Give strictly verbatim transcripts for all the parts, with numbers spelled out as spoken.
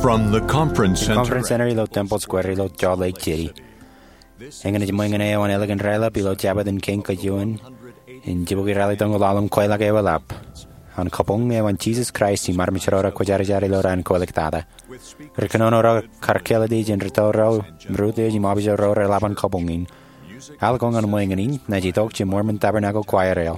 From the Conference Center, Conference Center ilo Temple Square ilo Salt Lake City. Eñin ej ṃōñā eo an ālikin raelep ilo Jabōt in Kein Kajuon in jibukwi ralitōñoul ḷalem kweilọk eoḷap an kabuñ eo an Jesus Christ im armej ro rekwōjarjar ilo raan ko āliktata. Ri kōnono ro kar kāālōt ijin rūtto ro im rūtto ijin im abuj ro reḷap an kabuñ in. Al ko ñan ṃōñā in ej itok jān Mormon Tabernacle Choir eo.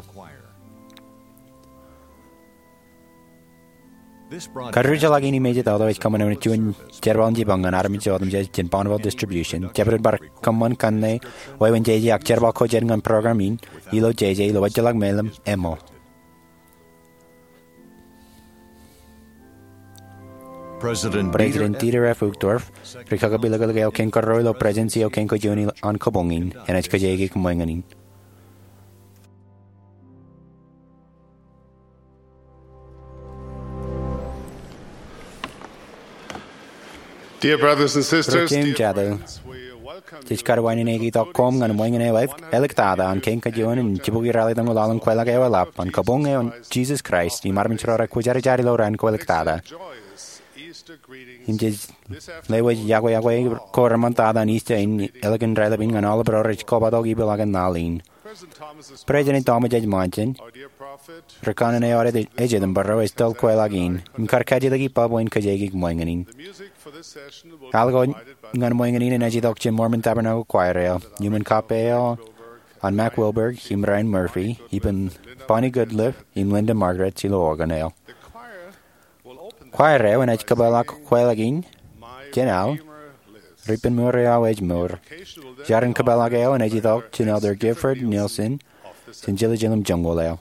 Kar ri jeḷā in im ej itok ej kōṃṃan juon jerbal in jipañ ñan armej otemjej jān Bonneville Distribution. Jabdewōt bar kōṃṃan kanne wāween jeje ak jerbal ko jān ñan program in ilo jeje ilo wōjjeḷọk meḷeḷe eo. President Dieter F. Uchtdorf, ri kakapiliklik eo kein kōrro ilo Presidency eo kein kajuon an kabuñ in, enaaj kōjeañ ṃōñā in. Dear brothers and sisters, Ri kōm jatū, jej kar wāween itok koṃ ñan ṃōñā eo āliktata an kein kajuon in jibukwi ralitōñoul ḷalem kweilọk eoḷap an kabuñ eo an Jesus Christ im armej ro rekwōjarjar ilo raan ko āliktata. Im jej lewōj yokwe yokwe ko reṃṃantata an Easter in ālikin raelep in ñan aolep ro rej kobatok ipeḷaakin laḷ in. President Thomas H. Monson, ri kanaan eo ad ej itok bwe ro ej toḷ kweilọk in, im kar kajjitōk ippa bwe en kōjeañ ṃōñā in. Al ko ñan ṃōñā in enaaj itok jān Mormon Tabernacle Choir eo, iuṃwin kappān eo an Mack Wilberg im Ryan Murphy, ippān Bonnie Goodliffe im Linda Margaret ilo organ eo. Choir eo enaaj kōpeḷḷọk kweilọk in jān Al Redeemer Lives, Redeemer eo aō ej mour. Jar in kōpeḷḷọk eo enaaj itok jān Elder Gifford Nielsen jān Jerusalem Joñoul eo.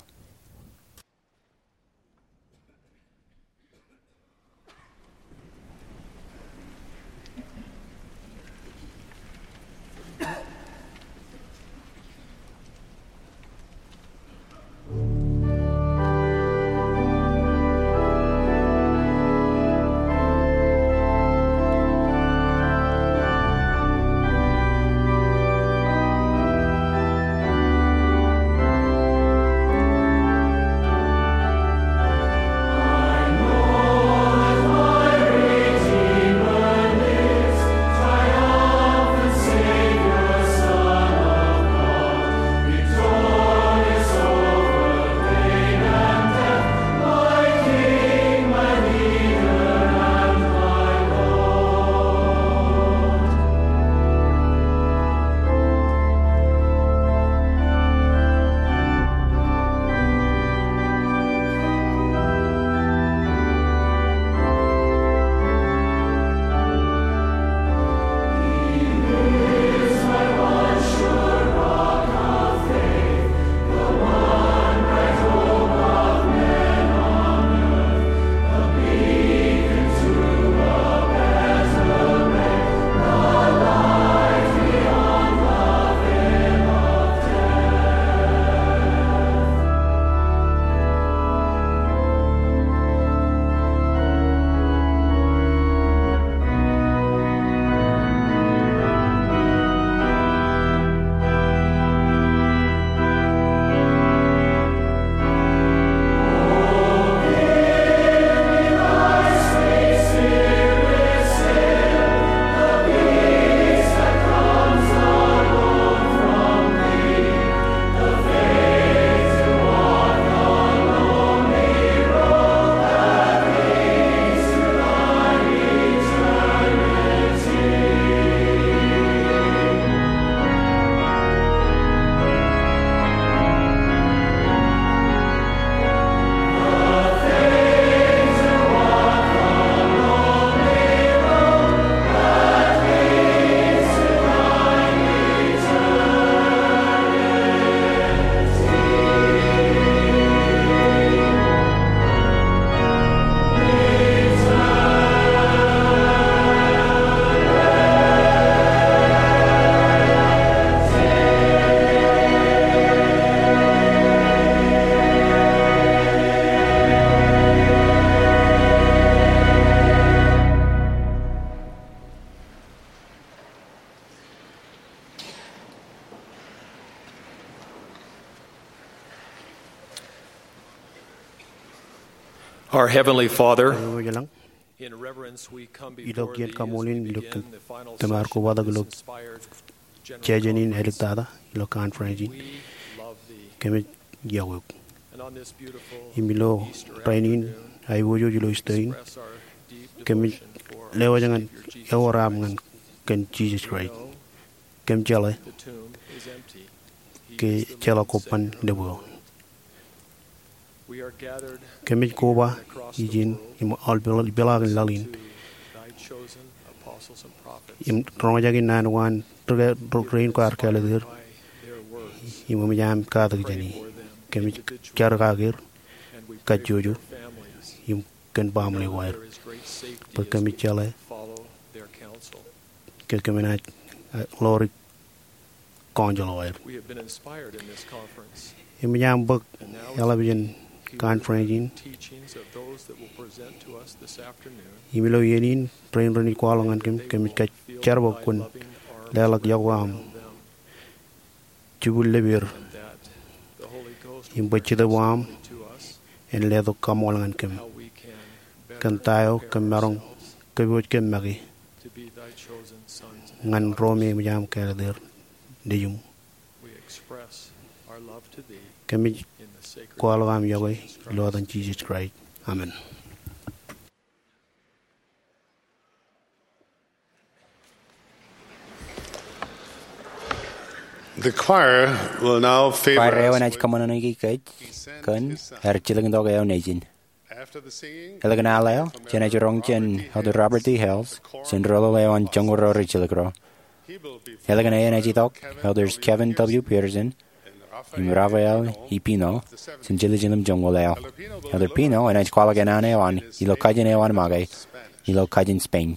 Our Heavenly Father, Iwōj ilañ, Ilo kiiō kaṃṃoolin ilo kōm tōmar kobatok ilo jeje in āliktata ilo conference in, kōmij iọkwe eok. Im ilo rainin aiboojoj ilo Easter in, kōmij lewōj ñan ewōr am ñan kōn Jisōs Kraist. Kōm jeḷā ke ejjeḷọk kobban lōb eo. Kōmij koba ijin im aolep ipeḷaakin laḷ in im roñjake naan ko an rein kwaar kāālōt er im eṃōj am katak jāne. Kōmij jar kake er kajjojo im kōn baaṃle ko aer bwe kōmij jeḷā ke kōm naaj ḷoori counsel eo aer. Eṃōj am bōk eḷap jān conference in. Im ilo iien in rein renaaj kwaḷọk ñan kōm, kōmij kōjjerbal kwōn leḷọk iọkwe am jibwil lōb er im bwe Jetōb eo aṃ en letok kaṃṃool ñan kōm kōn ta eo kōm maroñ kōpooj kōm make ñan ro me eṃōj am kāālōt er nejiṃ. Kōmij kwaḷọk am iọkwe ilo etan Jisōs Kraist. Amen. The choir will now favor Kwaer eo us enaaj with kōṃṃanṃōṇōki kōj kōn aer jilkintok eo nejin. After the singing, Ālikin al eo, jenaaj roñ jān Elder Robert D. Hales jān rōḷōḷ eo an joñoul ro rijjilōk ro. Ālikin e enaaj itok Elders Kevin W. Peterson im Rafael E. Pino jān jiljilimjuon eo. Elder Pino enaaj kwaḷọk naan eo an ilo kajin eo an make ilo kajin Spain.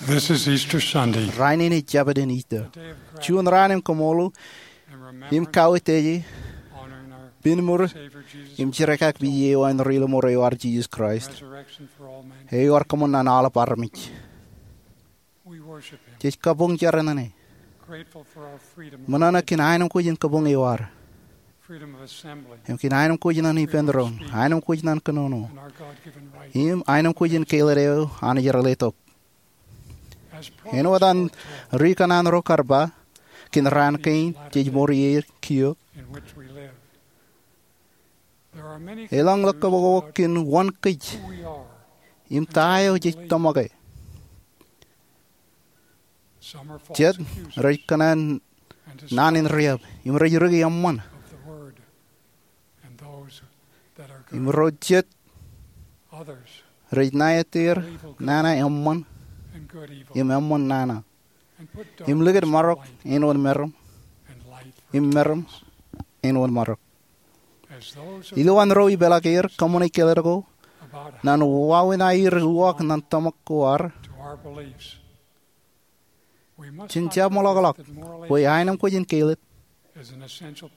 This is Easter Sunday. Rainin ej Jabōt in Ister. Juon raan in kaṃṃoolol im kawōj teje, pinmur im jerkakpeje eo an Ri-lọmọọr eo ad, Jesus Christ, eo ear kōṃṃan naan aolep armej. Jej kabuñ jar ñan e, ṃōṇōṇō kōn aenōṃ kōj in kabuñ eo ad, im kōn aenōṃ kōj ñan ippān doon, aenōṃ kōj ñan kōnono, im aenōṃ kōj in kāālōt eo Anij ear letok. Āinwōt an ri kōṇaan ro kar ba, kōn raan kein jej mour ie kiiō, elōñ ḷōkakakpeje kōn wōn kōj im ta eo jej tōmake. Jet rej kōṇaan naan in riab im rej rūkaki eṃṃan, im ro jet rej ṇa itier nana eṃṃan im eṃṃan nana, im likūt marok āinwōt meram, im meram āinwōt marok. Ilowaan ro ipeḷaakier kōṃṃane kāālōt ko ñan wāween aer uwaak ñan tōmak ko ad, jen jab ṃōḷọkḷọk bwe aenōṃ kōj in kāālōt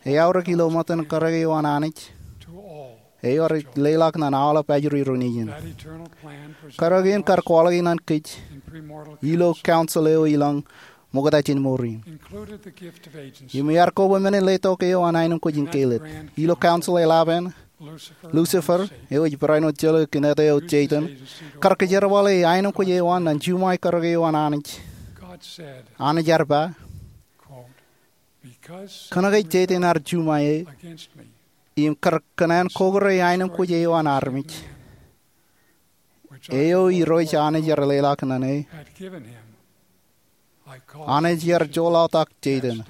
eaorōk ilo ṃōttan karōk eo an Anij eo ej leḷọk ñan aolep ajri ro nejin. Karōk in kar kwaḷọk ñan kōj ilo council eo ilọñ ṃokta jān mour in, im ear koba men in letok eo an aenōṃ kōj in kāālōt. Ilo council eḷap an, Lucifer, eo ej barāinwōt jeḷā kōn ete eo Satan, kar kōjerbale aenōṃ kōj eo an ñan juṃae karōk eo an Anij. Anij ear ba, kōnke Satan ear juṃae e im kar kōṇaan kokore aenōṃ kōj eo an armej, eo Irooj Anij ear leḷọk ñan e, Anij ear joḷọk Satan.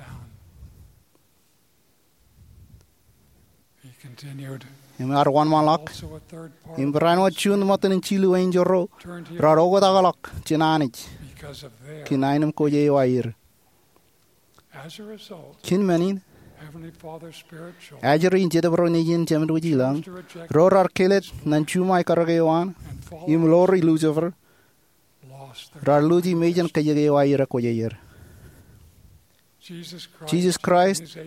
Im ear wōnṃaanḷọk, im barāinwōt juon ṃōttan in jilu enjeḷ ro raar oktakḷọk jān Anij kōn aenōṃ kōj eo aer. Kōn men in, ajri in Jetōb ro nejin Jemedwōj ilañ, ro raar kāālōt ñan juṃae karōk eo an im ḷoori Lucifer, raar luuji mejān kajjik eo aer ekwōjarjar. Jesus Christ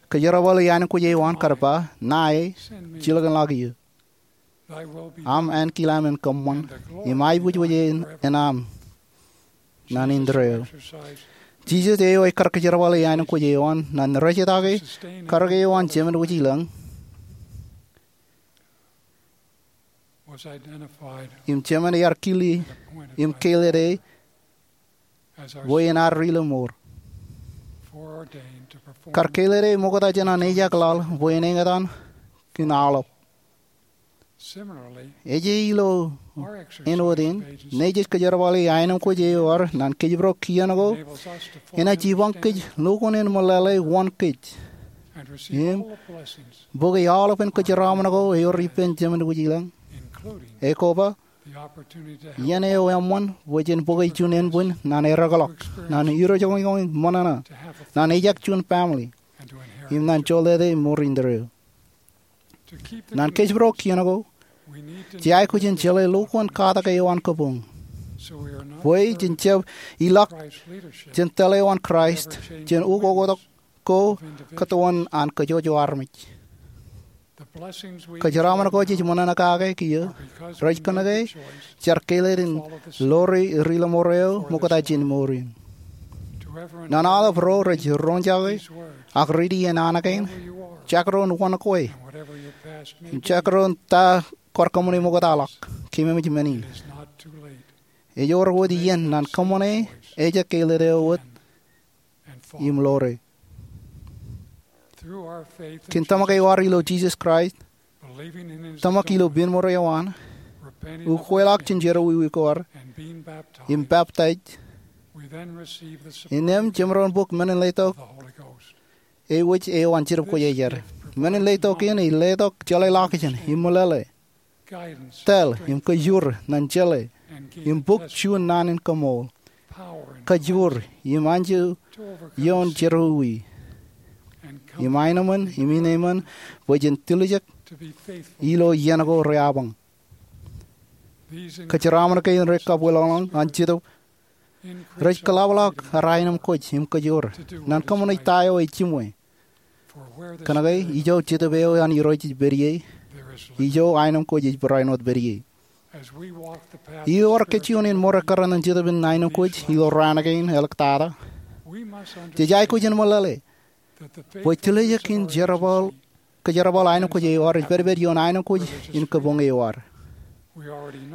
kōjerbale aenōṃ kōj eo an kar ba, ṇa e, jilkinḷọk eō. Aṃ ankilaṃ en kōṃṃan, im aebōjbōj en aṃ naan indeeo. Jesus eo ej kar kōjerbale aenōṃ kōj eo an ñan rejjitōk e karōk eo an Jemedwōj ilañ, im Jemān ear kile im kāālōt e bwe en ad Ri-lọmọọr. Kar kāālōt e ṃokta jān an ejak laḷ bwe en eñtaan kōn aolep. Ej ilo āinwōt in, nejej kōjerbale aenōṃ kōj eo ad ñan kōjparok kien ko enaaj jipañ kōj lukkuun en meḷeḷe wōn kōj im bōke aolepen kōjeraaṃṃan ko ewōr ippān Jemedwōj ilañ, ekoba iien eo eṃṃan bwe jen bōke juon ānbwin ñan erekḷọk, ñan irojoñojoñ ṃōṇōṇō, ñan ejak juon family, im ñan jolōte mour indeeo. Ñan kōjparok kien ko, jej aikuj in jeḷā lukkuun katak eo an kabuñ bwe jen jab ilọk jān tōl eo an Kraist jān ukoktak ko kōtwōn an kōjwōj armej. Kōjeraaṃṃan ko jej ṃōṇōṇō kake kiiō rej kōnke jaar kāālōt in ḷoori Ri-lọmọọr eo ṃokta jān mour in. Ñan aolep ro rej roñjake ak riiti iien naan kein, jekdọọn wōn kwe im jekdọọn ta kwaar kōṃṃane ṃoktaḷọk, keememej men in. Ej wōr wōt iien ñan kōṃṃane ejjab kāālōt eo wōt im ḷoore. Kōn tōmak eo ad ilo Jesus Christ, tōmak ilo pinmur eo an, ukweḷọk jān jerọwiwi ko ad, im baptize, innām jemaroñ bōk men in letok eo an Jetōb Kwōjarjar. Men in letok in ej letok jeḷāḷọkjeṇ im meḷeḷe, tōl im kajoor ñan jeḷā im bōk juon naan in kaṃool, kajoor im anjọ ioon jerọwiwi, im aenōṃōn im ineeṃōn bwe jen tiljek ilo iien ko reabañ. Kōjeraaṃṃan kein rej kabwilōñlōñ an Jetōb Rej kōḷapḷọk ar aenōmkwōj im kōjoor naan kōṃṃane ta eo ej jiṃwe. Kōnke ijo jetōb eo an Irooj ej pād ie, ijo aenōmkwōj ej barāinwōt pād ie. Iar kōj juon in ṃōrā kōrā ñan jetōb in aenōmkwōj ilo raan kein āliktata, jej aikuj in meḷeḷe bwe tōl eo kōn jerbal, kōjerbal aenōmkwōj eo ad ej pedped ioon aenōmkwōj in kabuñ eo ad.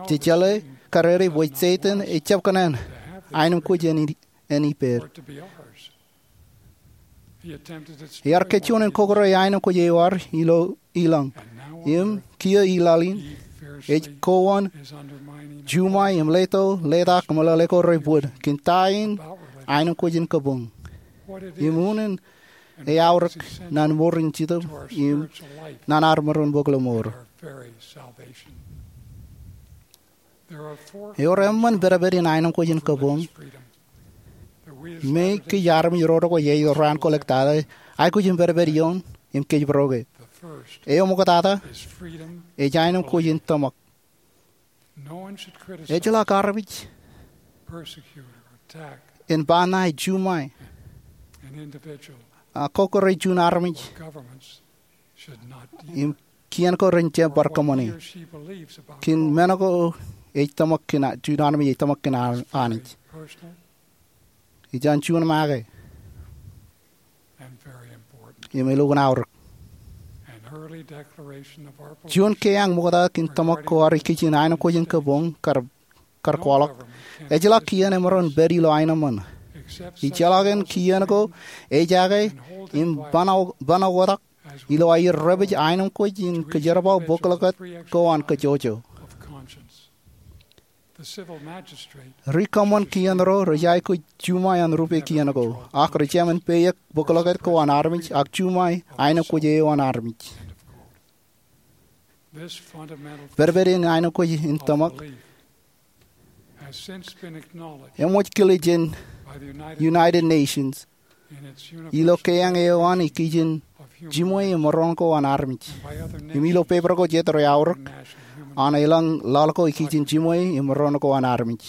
Jej jeḷā karere bwe Setan ejjab kōṇaan aenōmkwōj en, en ippād. Iar kōj juon in kōkure aenōmkwōj eo ad ilo ilañ. Im kiiō ilaḷ in, ej kowaan juṃae im leto, letak, meḷeḷe ko rej bōd kōn ta in aenōmkwōj in kabuñ im unin eaorōk naan mour in jetōb im naan ad maroñ bōk ilo mour. Ewōr eṃṃan pedped in aenōmkwōj in kabuñ me kōj armej ro ko ej ilo raan ko āliktata aikuj in pedped ioon im kōjparok e. Eo ṃoktata ej aenōmkwōj in tōmak. Ejjeḷọk armej en ba ṇae juṃae ak kōkure juon armej im kien ko ren jab bar kōṃṃane kōn men ko ej tōmak kōn, juon armej ej tōmak kōn Anij. Ej an juon make im elukkuun aorōk. Juon keañ ṃokta kōn tōmak ko ad ikijjien aenōmkwōj in kabuñ kar, kar kwaḷọk. Ejjeḷọk kien emaroñ pād ilo aenōṃṃan. Ijjeḷọk in kien ko ejake im ban, ban oktak ilo aer repej aenōmkwōj in kōjerbal bōklọkot ko an kōjọjọ. Ri kōṃṃan kien ro rej aikuj juṃae an rupe kien ko, ak rej jāmin peiōk bōklọkot ko an armej ak juṃae aenōmkwōj eo an armej. Pedped in aenōmkwōj in tōmak eṃōj kile jān United Nations ilo keañ eo an ikijjien jiṃwe im maroñ ko an armej, im ilo pepar ko jet rej aorōk an elōñ laḷ ko ikijjien jiṃwe im maroñ ko an armej.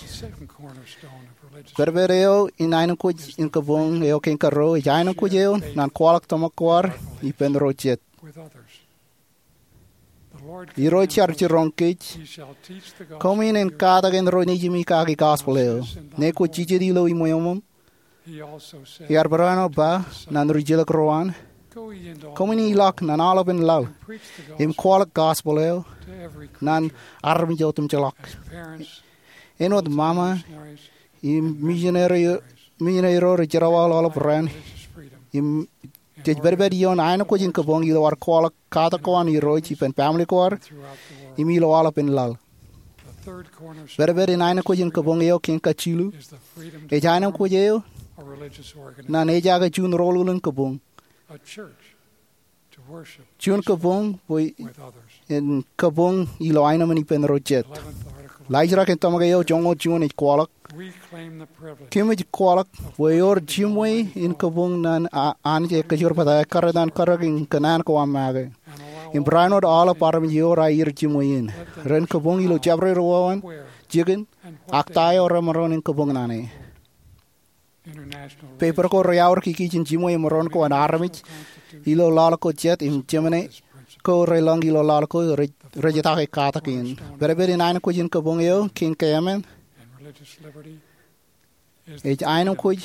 Pedped eo in aenōmkwōj in kabuñ eo kein karuo ej aenōmkwōj eo naan kwaḷọk tōmak ko ad ippān ro jet. Irooj ear jiroñ kōj, "Koṃwin in katakin ro nejimi kaki gospel eo, ñe kwōj jijet ilo iṃweo." Ear barāinwōt ba ñan ri jilkinḷọk ro an, "Koṃwin ilọk ñan aolepān laḷ im kwaḷọk gospel eo ñan armej otemjeḷọk." Āinwōt ṃaṃa im misineri, misineri ro rej jerbal aolep raan im jej pedped ioon aenōmkwōj in kabuñ ilo ad kwaḷọk katak ko an Irooj ippān family ko ad im ilo aolepān laḷ. Pedped in aenōmkwōj in kabuñ eo kein kajilu ej aenōmkwōj eo naan ejake juon roñoul in kabuñ, juon kabuñ bwe en kabuñ ilo aenōṃṃan ippān ro jet. Laajrak in tōmak eo joñoul juon ej kwaḷọk, "Kōmij kwaḷọk bwe ewōr jiṃwe in kabuñ ñan a-, Anij e kōjparok bōtab kōrā ñan kōrā in kōṇaan ko aṃ make, im barāinwōt aolep armej ewōr aer jiṃwe in, ren kabuñ ilo jabdewōt wāween jikin ak ta eo remaroñ in kabuñ ñan e." Pepar ko rej aorōk ikijjien jiṃwe im maroñ ko an armej ilo laḷ ko jet im jemān ko relōñ ilo laḷ ko rej, rej etake katak in. Pedped in aenōmkwōj in kabuñ eo kein keemān ej aenōmkwōj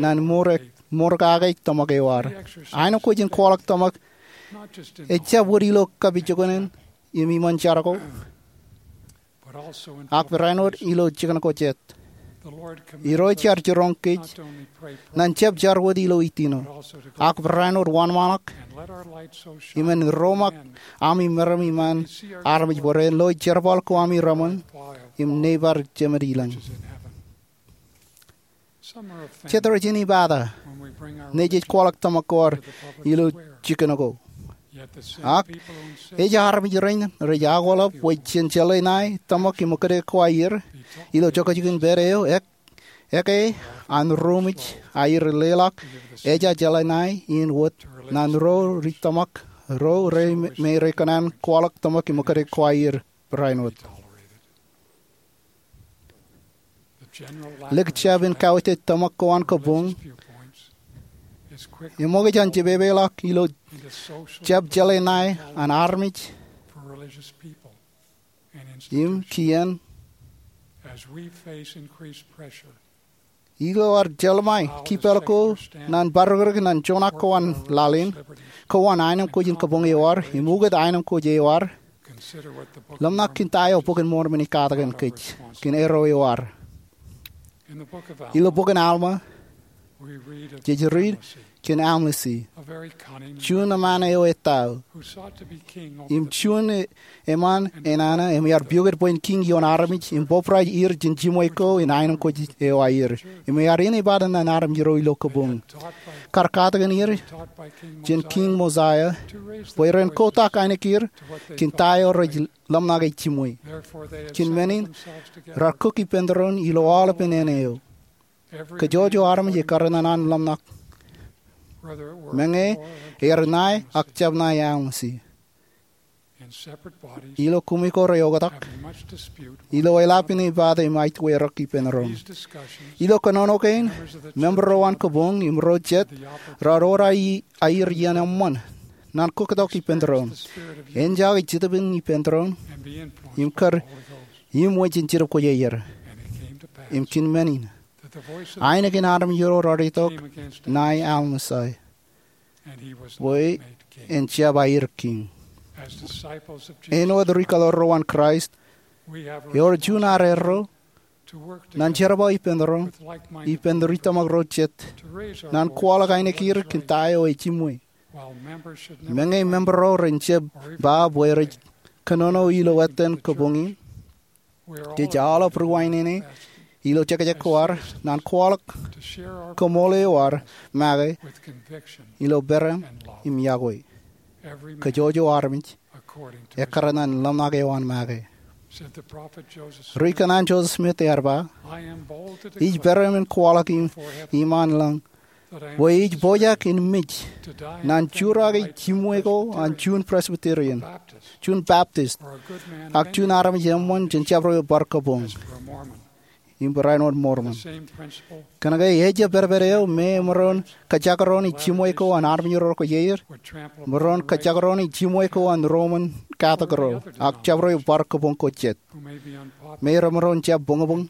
naan mour, mour kake tōmak eo ad. Aenōmkwōj in kwaḷọk tōmak ejjab wōt ilo kapijuknen im iṃaan jar ko, ak barāinwōt ilo jikin ko jet. Irooj ear jiroñ kōj ñan jab jar wōt ilo itino, ak barāinwōt wōnṃaanḷọk im en roñak ami meram iṃaan armej bwe ren lo jerbal ko ami reṃōn im neibar Jemān ilañ. Jet rej inepata ñe jej kwaḷọk tōmak ko ad ilo jikin ko. Ak ej armej rein rej akwōḷap bwe jen jeḷā ṇae tōmak im ekkōjkan ko aer ilo jokjok in pād eo, ek, ekkā an ro mej aer leḷọk ejja jeḷā ṇae in wōt ñan ro rej tōmak, ro rej me, me rej kōṇaan kwaḷọk tōmak im ekkōjkan ko aer barāinwōt. Lik jab in kautiej tōmak ko an kabuñ eṃōkaj an jepepeḷọk ilo jab jeḷā ṇae an armej im kien. Ilo ad jeḷmāe kipāl ko ñan barūkūruk ñan joñak ko an laḷ in, ko an aenōṃ kwōj in kabuñ eo ad im ukōt aenōṃ kwōj eo ad, ḷōmṇak kōn ta eo Bok in Mormon ej katakin kōj kōn erro eo ad. Ilo bok in Alma, jej riit kōn Amlisi, juon eṃṃaan eo ettā, im juon eṃṃaan enana, im ear piukūt bwe en kiiñ ioon armej im bōbrae er jān jiṃwe ko in aenōṃ kwōj eo aer, im ear āne bar ñan armej ro ilo kabuñ, kar katakin er jān Kiiñ Mosaia, bwe ren kotak ainikien kōn ta eo rej ḷōmṇake jiṃwe. Kōn men in, raar kōk ippān doon ilo aolepān āne eo. Kōjwōjwō armej ekar ñan an ḷōmṇak. Meñe ear ṇae ak jab ṇae Amlisi. Ilo kumi ko reoktak, ilo eḷap in ej bōktok im aitwerok ippān doon. Ilo kōnono kein, member ro an kabuñ im ro jet raar ewōr aer iien eṃṃan ñan kōktok ippān doon, enjake jetōb in ippān doon, im kar iṃwe jān Jetōb Kwōjarjar. Im kōn men in, ainikien armej ro raar itok ṇae Amlisi, bwe en jab aer kiiñ. Āinwōt ri-kaḷoor ro an Kraist, ewōr juon arro ñan jerbal ippān doon ippān ri-tōmak ro jet ñan kwaḷọk ainikien kōn ta eo ej jiṃwe. Meñe member ro ren jab ba bwe rej kōnono ilo ettōn kabuñ in, jej aolep ri-wāween ilo jekjek ko ad ñan kwaḷọk koṃṃool eo ad make ilo peran im iọkwe. Kōjwōjwō armej ekar ñan ḷōmṇak eo an make. Ri-kōṇaan Joseph Smith ear ba, ij peran in kwaḷọk iṃaan lañ bwe ij pojak in mej ñan jurake jiṃwe ko an juon Presbyterian, juon Baptist, ak juon armej eṃṃan jān jabdewōt bar kabuñ im barāinwōt Mormon. Kōnke ejjab pedped eo me emaroñ kajekdọọn jiṃwe ko an armej ro kwōjarjar, emaroñ kajekdọọn jiṃwe ko an Roman Catholic ro ak jabdewōt bar kabuñ ko jet me remaroñ jab buñbuñ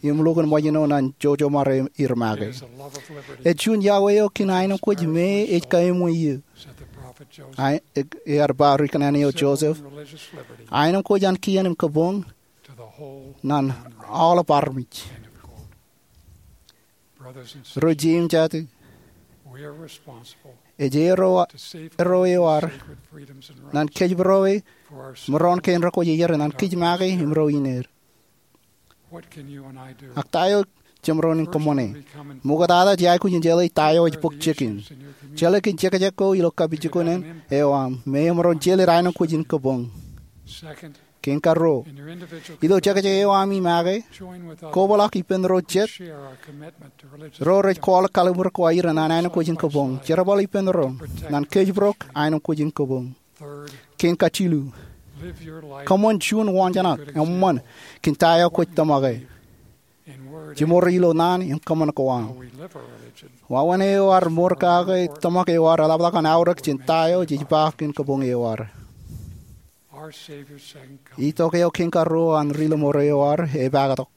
im lukkuun ṃōjṇọ ñan jojomar er make. Ej juon iọkwe eo kōn aenōṃ kwōj me ej kaeṃwe eō. Ear ba ri-kōṇaan eo Joseph, aenōṃ kwōj an kien im kabuñ ñan aolep armej. Ri-jeiū im jatū, ej erro eo ad ñan kōjparok mour kein ro kwōjarjar ñan kōj make im ro ineer. Ak ta eo jemaroñ in kōṃṃane? Ṃoktata jej aikuj in jeḷā ta eo ej bōk jikin. Jeḷā kōn jekjek ko ilo kapijuknen eo aṃ me emaroñ jeḷā aenōṃ kwōj in kabuñ. Kein karuo, ilo jekjek eo aṃ make, kobaḷọk ippān ro jet ro rej kwaḷọk kalliṃur ko aer ñan aenōṃ kwōj in kabuñ. Jerbal ippān doon ñan kōjparok aenōṃ kwōj in kabuñ. Kein kajilu, kōṃṃan juon waanjoñak eṃṃan kōn ta eo kwōj tōmake. Jimor ilo naan im kōṃṃan ko aṃ. Wāween eo ad mour kake tōmak eo ad eḷapḷọk an aorōk jān ta eo jej ba kōn kabuñ eo ad. Itok eo kein karuo an ri-lọmọọr eo ad epāktok.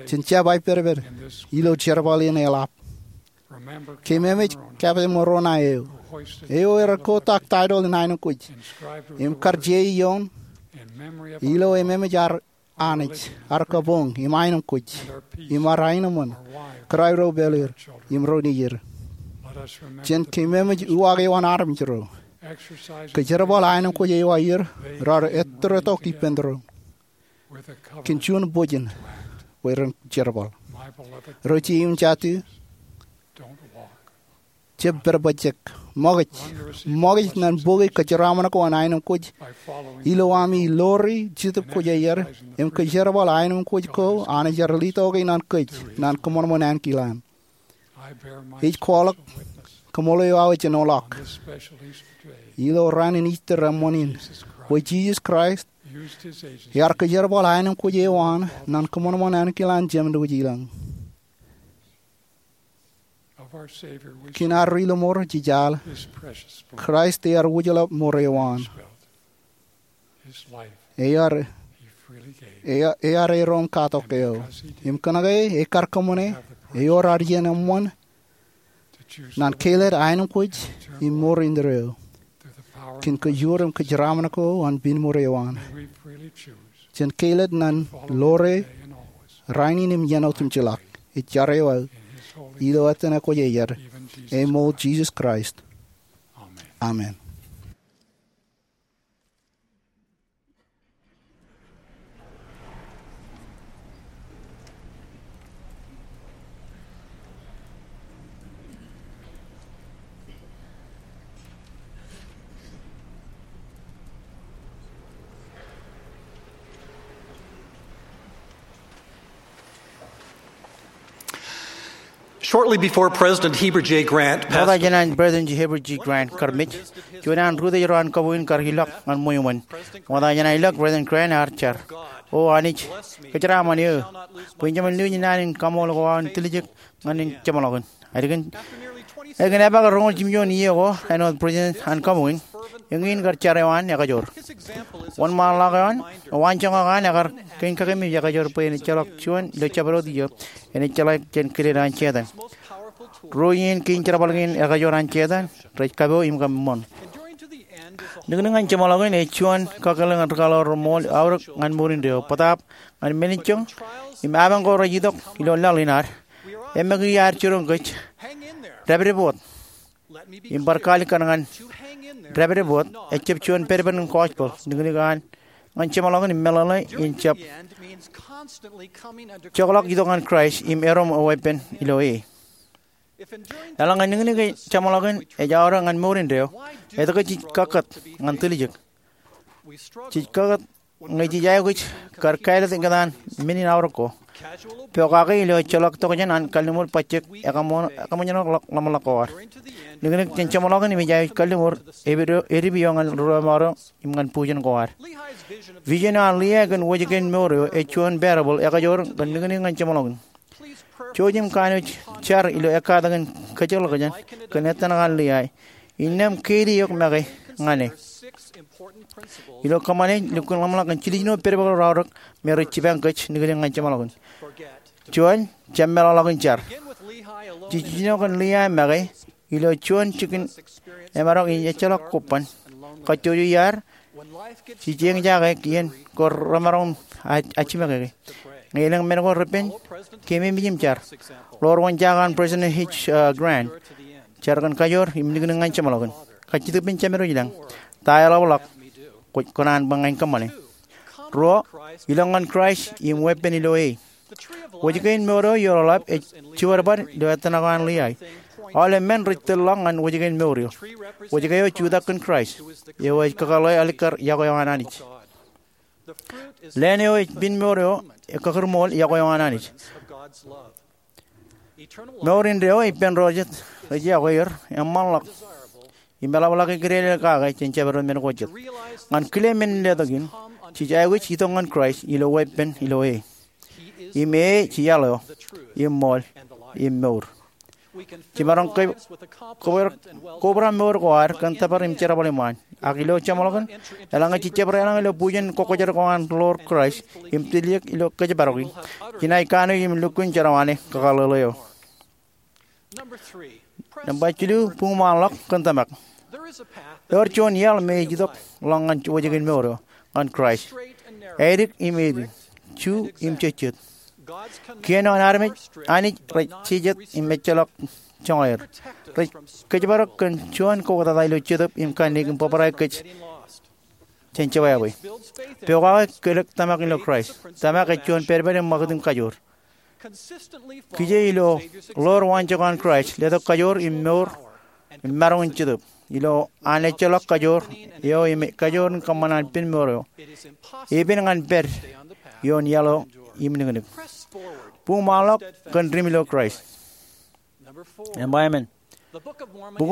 Jen jab aipedped ilo jerbal in eḷap. Keememej Captain Moroni eo, eo ear kotak taitōl in aenōṃ kwōj im kar je ioon ilo ememej ad Anij, ad kabuñ im aenōṃ kwōj, im ad aenōṃṃan, kōrā ro pālle er im ro nejier. Jen keememej uwaak eo an armej ro. Kōjerbal aenōṃ kwōj eo aer raar ettōrtok ippān doon kōn juon bōjin bwe ren jerbal. Ri-jeiū im jatū, jab pedpejjek. Ṃokaj, ṃokaj ñan bōki kōjeraaṃṃan ko an aenōṃ kwōj ilo ami lori Jetōb Kwōjarjar im kōjerbal aenōṃ kwōj ko Anij ear letok ñan kōj ñan kōṃanṃan ankilaan. Ij kwaḷọk kaṃṃoolol eo aō ejenoḷọk ilo raan in Easter eṃṃan in bwe Jisōs Kraist Ear kōjerbal aenōṃ kwōj eo an ñan kōṃanṃan ankilaan jemdukwijin ilañ. Kiin ad ri-lōṃor jijaḷ, Kraist ear wūjḷọk ṃor eo an. Ear, ear, ear erom katok eo. Im kōnke ekar kōṃṃane, ewōr ad iien eṃṃan ñan kāālōt aenōṃ kwōj im ṃor indeeo. Kiin kōjro im kōjeraṃṃan ko an piin ṃor eo an. Jen kāālōt ñan ḷoor e rainin im iien otemjej ḷọk. Ij jar eo aō ilo etan ekwōjarjar, eṃool Jisōs Kraist. Amen. Shortly before President Heber J. Grant passed, ṃokta jān an President Heber J. Grant kar mej, juon an ri-tōjro an kabuñ kar ilọk ñan ṃweo eṃṃan. Ṃokta jān an ilọk, President Grant ear jar, O Anij, kōjeraaṃṃan eō bwe in jemān lewōj naan in kaṃool ko aō in tiljek ñan jeṃḷọkin. Ālikin, ālikin epaak roñoul jimjuon iiō ko āinwōt President an kabuñ, eñin kar jar eo an ekajoor. Wōnṃaanḷọk eo an, waanjoñak eo an ekar kein kakememej ekajoor bwe en ejjeḷọk juon ilo jabdewōt iiō en ejjeḷọk jān kileḷ an Setan. Ruo iien kein jerbal kein ekajoor an Setan rej kapo im kab ṃoṇ. Niknik ñan jeṃḷọkin ej juon kakōḷḷe ñan rūkaḷoor reṃool aorōk ñan mour indeeo, bōtaab ñan men in joñ im apañ ko rej itok ilo laḷ in ad. Eṃṃakūt ad jiroñ kōj, dāpdep wōt. Im bar kaalikkar ñan dāpdep wōt ejjab juon pedped in gospel. Niknik an ñan jeṃḷọkin im meḷeḷe in jab jokḷọk itok ñan Kraist im erom weeppān ilo e. Eḷaññe niknik jeṃḷọkin ej aorōk ñan mour indeeo, etke jej kakkāt ñan tiljek? Jej kakkāt ñe jej aikuj kar kāālōt ikōtaan men in aorōk ko, pokake ilo ejjeḷọk tokjān an kalliṃur bajjek ekaṃō-, ekaṃōjṇọ ḷōmṇak ko ad. Niknik jān jeṃḷọkin im ej aikuj kalliṃur edip eo ñan ruo emaroñ im ñan bujen ko ad. Vision eo an Lehi kōn wōjke in mour eo ej juon parable ekajoor kōn niknik ñan jeṃḷọkin. Jouj im kanooj jar ilo ekkatak in kōjekḷọkjeṇ kōn etanak an Lehi, innām keidi eok make ñan e. Ilo kōṃṃane, lukkuun ḷōmṇak kōn jiljino pedped raorōk me rej jipañ kōj niknik ñan jeṃḷọkin. Juon, jab meḷọkḷọk in jar. Jej jiljino kōn Lehi make ilo juon jikin emaroñ in ejjeḷọk kobban, kajjojo iaad, jej eñjake iien ko remaroñ in ajjimekeke. Ñe elōñ men ko repen, keememej im jar. Ḷoor wōnjake an President H. uh, Grant, jar kōn kajoor im niknik ñan jeṃḷọkin. Kajjitōk ippān Jemedwōj ilañ, ta eḷapḷọk kwōj kōṇaan bwe ña in kōṃṃane? Ruo, ilọk ñan Kraist im weeppān ilo e. Wōjke in mour eo eḷap ej jibadbad ilo etanak eo an Lehi. Aolep men rej tōl ḷọk ñan wōjke in mour eo. Wōjke eo ej jutak kōn Kraist, eo ej kakōḷḷe alikkar iọkwe eo an Anij. Leen eo ej piin mour eo ej kakūrṃool iọkwe eo an Anij. Mour indeeo ippān ro jet rej iọkwe er eṃṃanḷọk im eḷapḷọk ikidede kake jān jabdewōt men ko jet. Ñan kile men in letok in, jej aikuj itok ñan Kraist ilo weeppān ilo e. Im e ej iaḷ eo, im ṃool, im mour. Jemaroñ ke-, kobra, kobra mour ko ad kōn tōpar im jerbal iṃaan. Ak ilo jeṃḷọkin, eḷaññe jej jab deḷọñ ilo bujen kwōkōjdat ko an ḷoor Kraist im tiljek ilo kōjparoki, jenaaj kanooj im lukkuun jerọwiwi ñan e kakōḷḷe eo. Nōṃba jilu, buñṃaanḷọk kōn tōmak. Eor juon iaḷ me ej itok ḷọk ñan wōjke in mour eo, ñan Kraist. Ādik im edik, ju im jejjet. Kien eo an armej, Anij rej jejet im ejjeḷọk joñan er. Rej kōjparok kōn juon kautata ilo jetōb im kanniōk im bōbrae kōj jān jebwābwe. Pokake kōlōk tōmak ilo Kraist. Tōmak ej juon pedped im ṃakūt im kajoor. Kije ilo ḷoor waanjoñak an Kraist, letok kajoor im mour im maroñ in jetōb. Ilo an ejjeḷọk kajoor eo im kajoor in kōṃṃan an piin mour eo, epen ñan pād ioon iaḷ eo im niknik. Buñṃaanḷọk kōn dim ilo Kraist. Nōṃba emān. Bok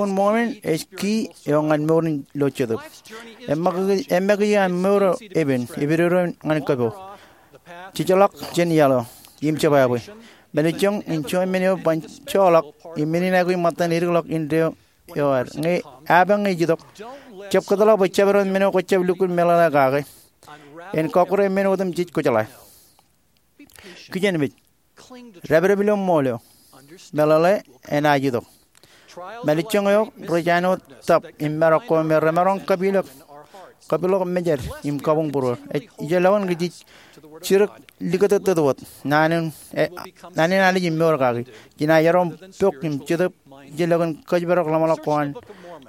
in Mormon ej kiiō ñan mour in ilo jetōb. Eṃṃakiki, eṃṃakiki aṃ mour eo epen, epidodoin ñan kōpo. Jejḷọk jān iaḷ eo im jebwābwe. Mālejjoñ in juon men eo ban joḷọk im men in aikuj ṃōttan edikḷọk indeeo eo ad. Ñe, apañ ñe ej itok, jab kōtḷọk bwe jabdewōt men eo kwōjab lukkuun meḷeḷe kake. En kọkkure men otemjej kwōjeḷā. Kijenmej. Dāpdep ilo ṃool eo. Meḷeḷe enaaj itok. Mālejjoñ eo rej āinwōt tap im marok ko me remaroñ kapilōk, kapilōk mejād im kabuñ būruod. Ej, ijellọkin kōj jej jidik likūtōttōt wōt naan in, e, naan in Anij im mour kaki. Jenaaj erom pok im jetōb ijellọkin kōjparok ḷōmṇak ko an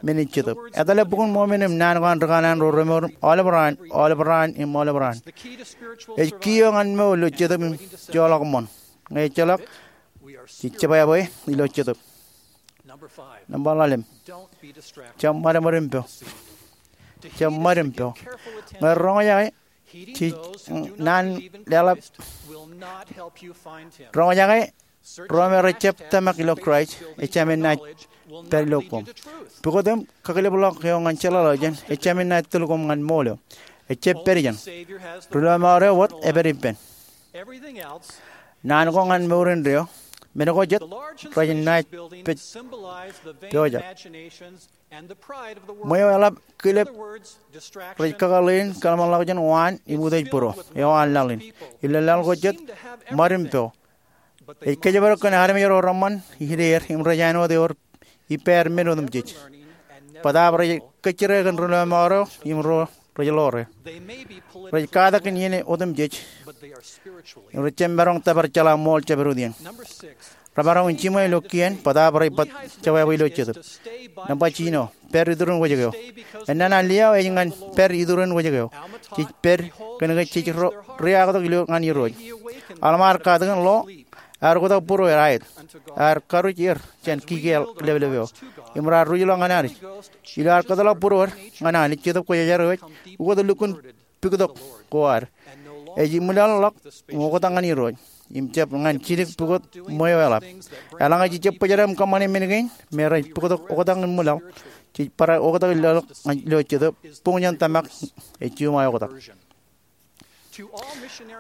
men in jetōb. Etale Bok in Mormon im naan ko an ri kanaan ro remour aolep raan, aolep raan im aolep raan. Ej kiiō ñan mour ilo jetōb im joḷọk ṃoṇ. Ñe ejjeḷọk, jej jebwābwe ilo jetōb. Nōṃba ḷalem. Jab ṃadṃōd im po. Jab ṃad im po. Ñe roñjake, jej, naan leḷọk, roñjake, ro me rejjab tōmak ilo Kraist, ejāmin naaj pād ilo koṃ. Pukot im kakilebḷọk eo ñan jeḷāḷọkjeṇ, ejāmin naaj tōl koṃ ñan ṃool eo. Ejjab pād ijeṇ. Ri lọmọọr eo wōt epād ippān. Naan ko ñan mour indeeo, men ko jet, rej naaj pād pojak. Ṃweo eḷap kilep rej kakōḷḷe in kōḷmānḷọkjeṇ waan im utiej būruō eo an laḷ in. Ilo laḷ ko jet, ṃad im po. Ej kōjparok kōn armej ro reṃṃan ideer im rej āinwōt ewōr ippāer men otemjej. Bōtaab rej kōjjire kōn ri lọmọọr eo im ro rej ḷoore. Rej katak kōn iien otemjej im rejjab maroñ tōpar jeḷā ṃool jabdewōt iien. Remaroñ in jiṃwe ilo kien, bōtaab rej bōk jebwābwe ilo jetōb. Nōṃba jino, pād iturin wōjke eo. Ennana liaḷ ej ñan pād iturin wōjke eo. Jej pād kōnke jej ro, riaktok ilo ñan Irooj. Aḷ ṃaar katakin ḷo, ear oktak būrueer aet, ear karuj er jān kiki leplep eo im raar ruj ḷọk ñan Anij. Ilo ad kōtḷọk būruod ñan Anij, Jetōb Kwōjarjar eo ej ukōt lukkuun puktok ko ad. Ej iṃwilaḷḷọk im oktak ñan Irooj im jab ñan jidik pukot ṃweo eḷap. Eḷaññe jej jab bōjrak im kōṃṃane men kein me rej pukot oktak im iṃwilaḷ, jej bar oktak ilo, ilo jetōb, buñ jān tōmak ej juṃae oktak.